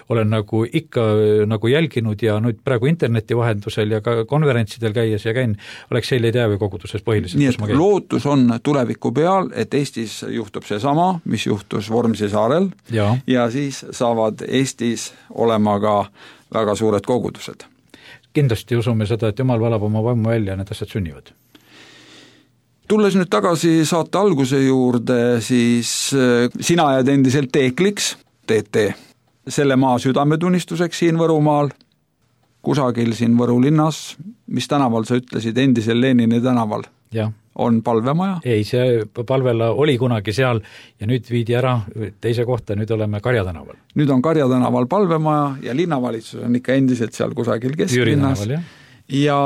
Speaker 3: olen nagu ikka nagu jälginud ja nüüd praegu interneti vahendus ja ka konverentsidel käies ja käin Aleksei Ledevi koguduses põhiliselt.
Speaker 2: Nii et lootus on tuleviku peal, et Eestis juhtub see sama, mis juhtus Vormsi saarel ja siis saavad Eestis olema ka väga suured kogudused.
Speaker 3: Kindlasti usume seda, et Jumal valab oma vaimu välja ja need asjad sünnivad.
Speaker 2: Tulles nüüd tagasi saate alguse juurde, siis sina jääd endiselt teekliks, teete selle maa südametunnistuseks siin Võrumaal, kusagil siin Võru linnas, mis tänaval sa ütlesid, endisel Lenini tänaval, on palvemaja?
Speaker 3: Ei, see palvela oli kunagi seal ja nüüd viidi ära teise kohta, nüüd oleme Karja tänaval.
Speaker 2: Nüüd on Karja tänaval palvemaja ja linnavalitsus on ikka endiselt seal kusagil kesklinnas. Ja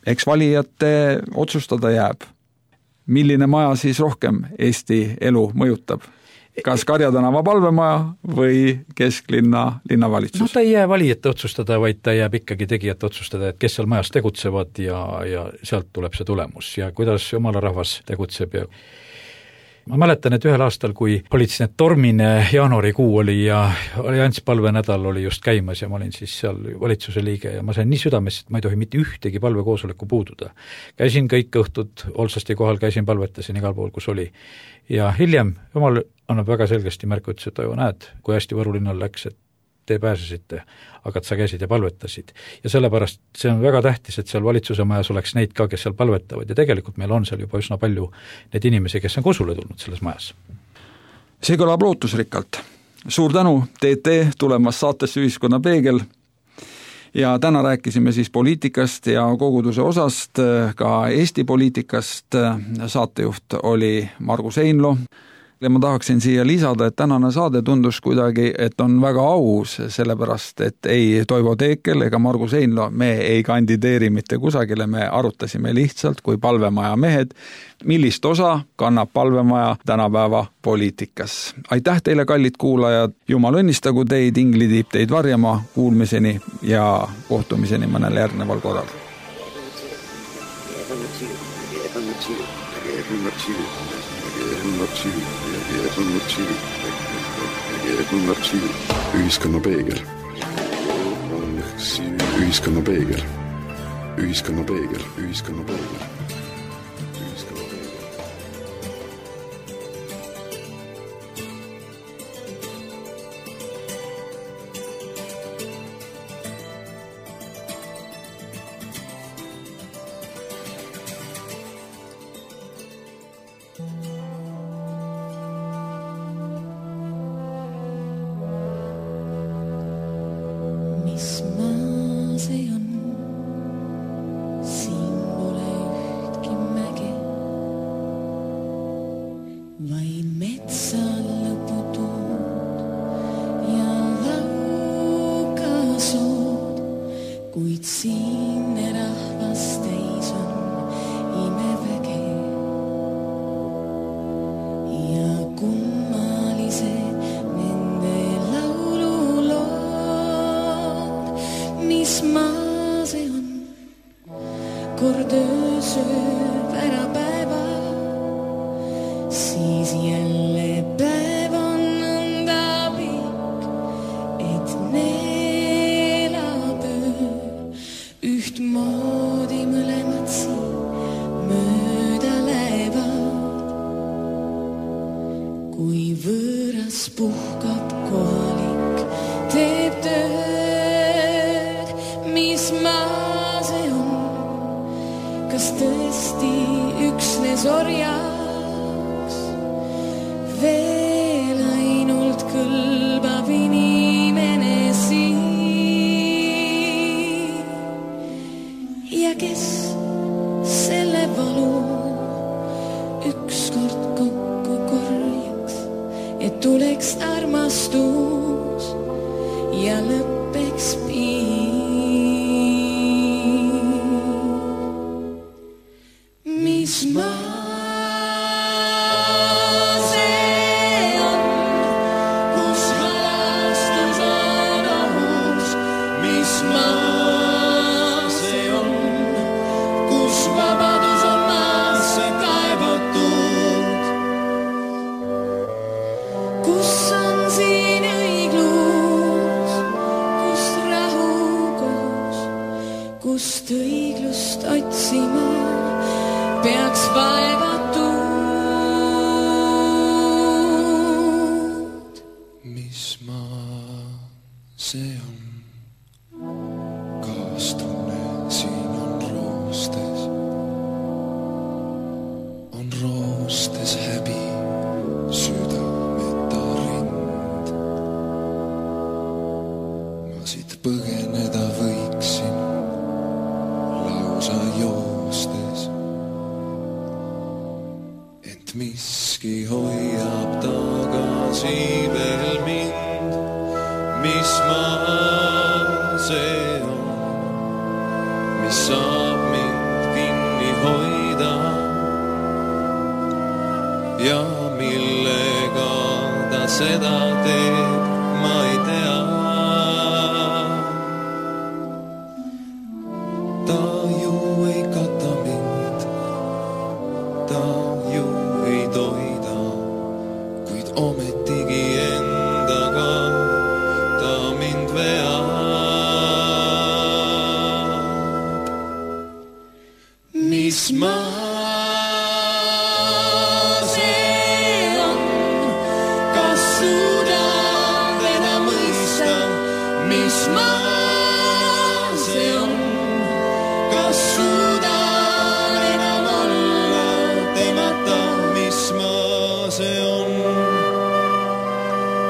Speaker 2: eks valijate otsustada jääb. Milline maja siis rohkem Eesti elu mõjutab? Kas Karja tänava palvemaja või kesklinna linnavalitsus?
Speaker 3: Ta ei jää valijate otsustada, vaid ta jääb ikkagi tegijate otsustada, et kes seal majas tegutsevad ja sealt tuleb see tulemus ja kuidas jumala rahvas tegutseb. Ma mäletan, et ühel aastal, kui oli siis need tormine jaanuarikuu oli ja allianspalvenädal oli just käimas ja ma olin siis seal valitsuse liige ja ma sain nii südamest, et ma ei tohi mitte ühtegi palvekoosoleku puududa. Käisin kõik õhtud Olsasti kohal, käisin palvetasin igal pool, kus oli. Ja hiljem Jumal annab väga selgesti märku, ütles, et näed, kui hästi Võru linnal läks, et te pääsesite, aga sa käisid ja palvetasid. Ja sellepärast see on väga tähtis, et seal valitsuse majas oleks neid ka, kes seal palvetavad ja tegelikult meil on seal juba üsna palju neid inimesi, kes on kosule tulnud selles majas.
Speaker 2: See kõlab lootusrikkalt. Suur tänu, TT, tulemas saatesse Ühiskonna Peegel ja täna rääkisime siis poliitikast ja koguduse osast, ka Eesti poliitikast. Saatejuht oli Margus Einlo. Ja ma tahaksin siia lisada, et tänane saade tundus kuidagi, et on väga aus, sellepärast, et ei Toivo Teekel ega Margus Einlo, me ei kandideeri mitte kusagile, me arutasime lihtsalt kui palvemaja mehed, millist osa kannab palvemaja tänapäeva poliitikas. Aitäh teile, kallid kuulajad, Jumal õnnistagu teid, ingli tiib teid varjama, kuulmiseni ja kohtumiseni mõnel järgneval korral.
Speaker 1: Ühiskonna Peegel. Ühiskonna Peegel. Ühiskonna Peegel. Ühiskonna Peegel.
Speaker 5: Kust õiglust otsima peaks vaevatud.
Speaker 6: Mis maa see on? Kaastunne siin on roostes häbi, südameta rind. Ma siit põgeneda võiksin lausa joostes, ent miski hoiab tagasi veel mind. Mis maa see on, mis saab mind kinni hoida ja millega ta seda teeb, ma ei tea. Ta ju ei kata mind, ta ju ei toida.
Speaker 5: mis maa see on, kas suudan enam olla temata, mis maa see on.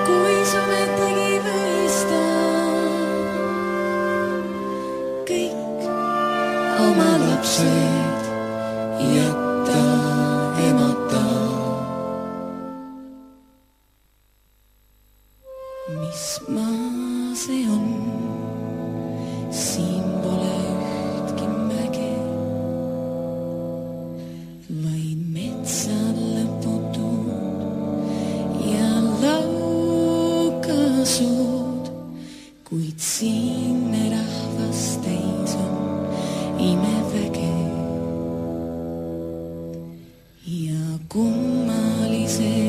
Speaker 5: Kui sumetegi võistan kõik oma lapsed jätta emata, mis maa see on, siin pole ühtki mäge, vaid metsad lõputud ja laukasud, kuid siinne rahvas täis on imeväge ja kummalised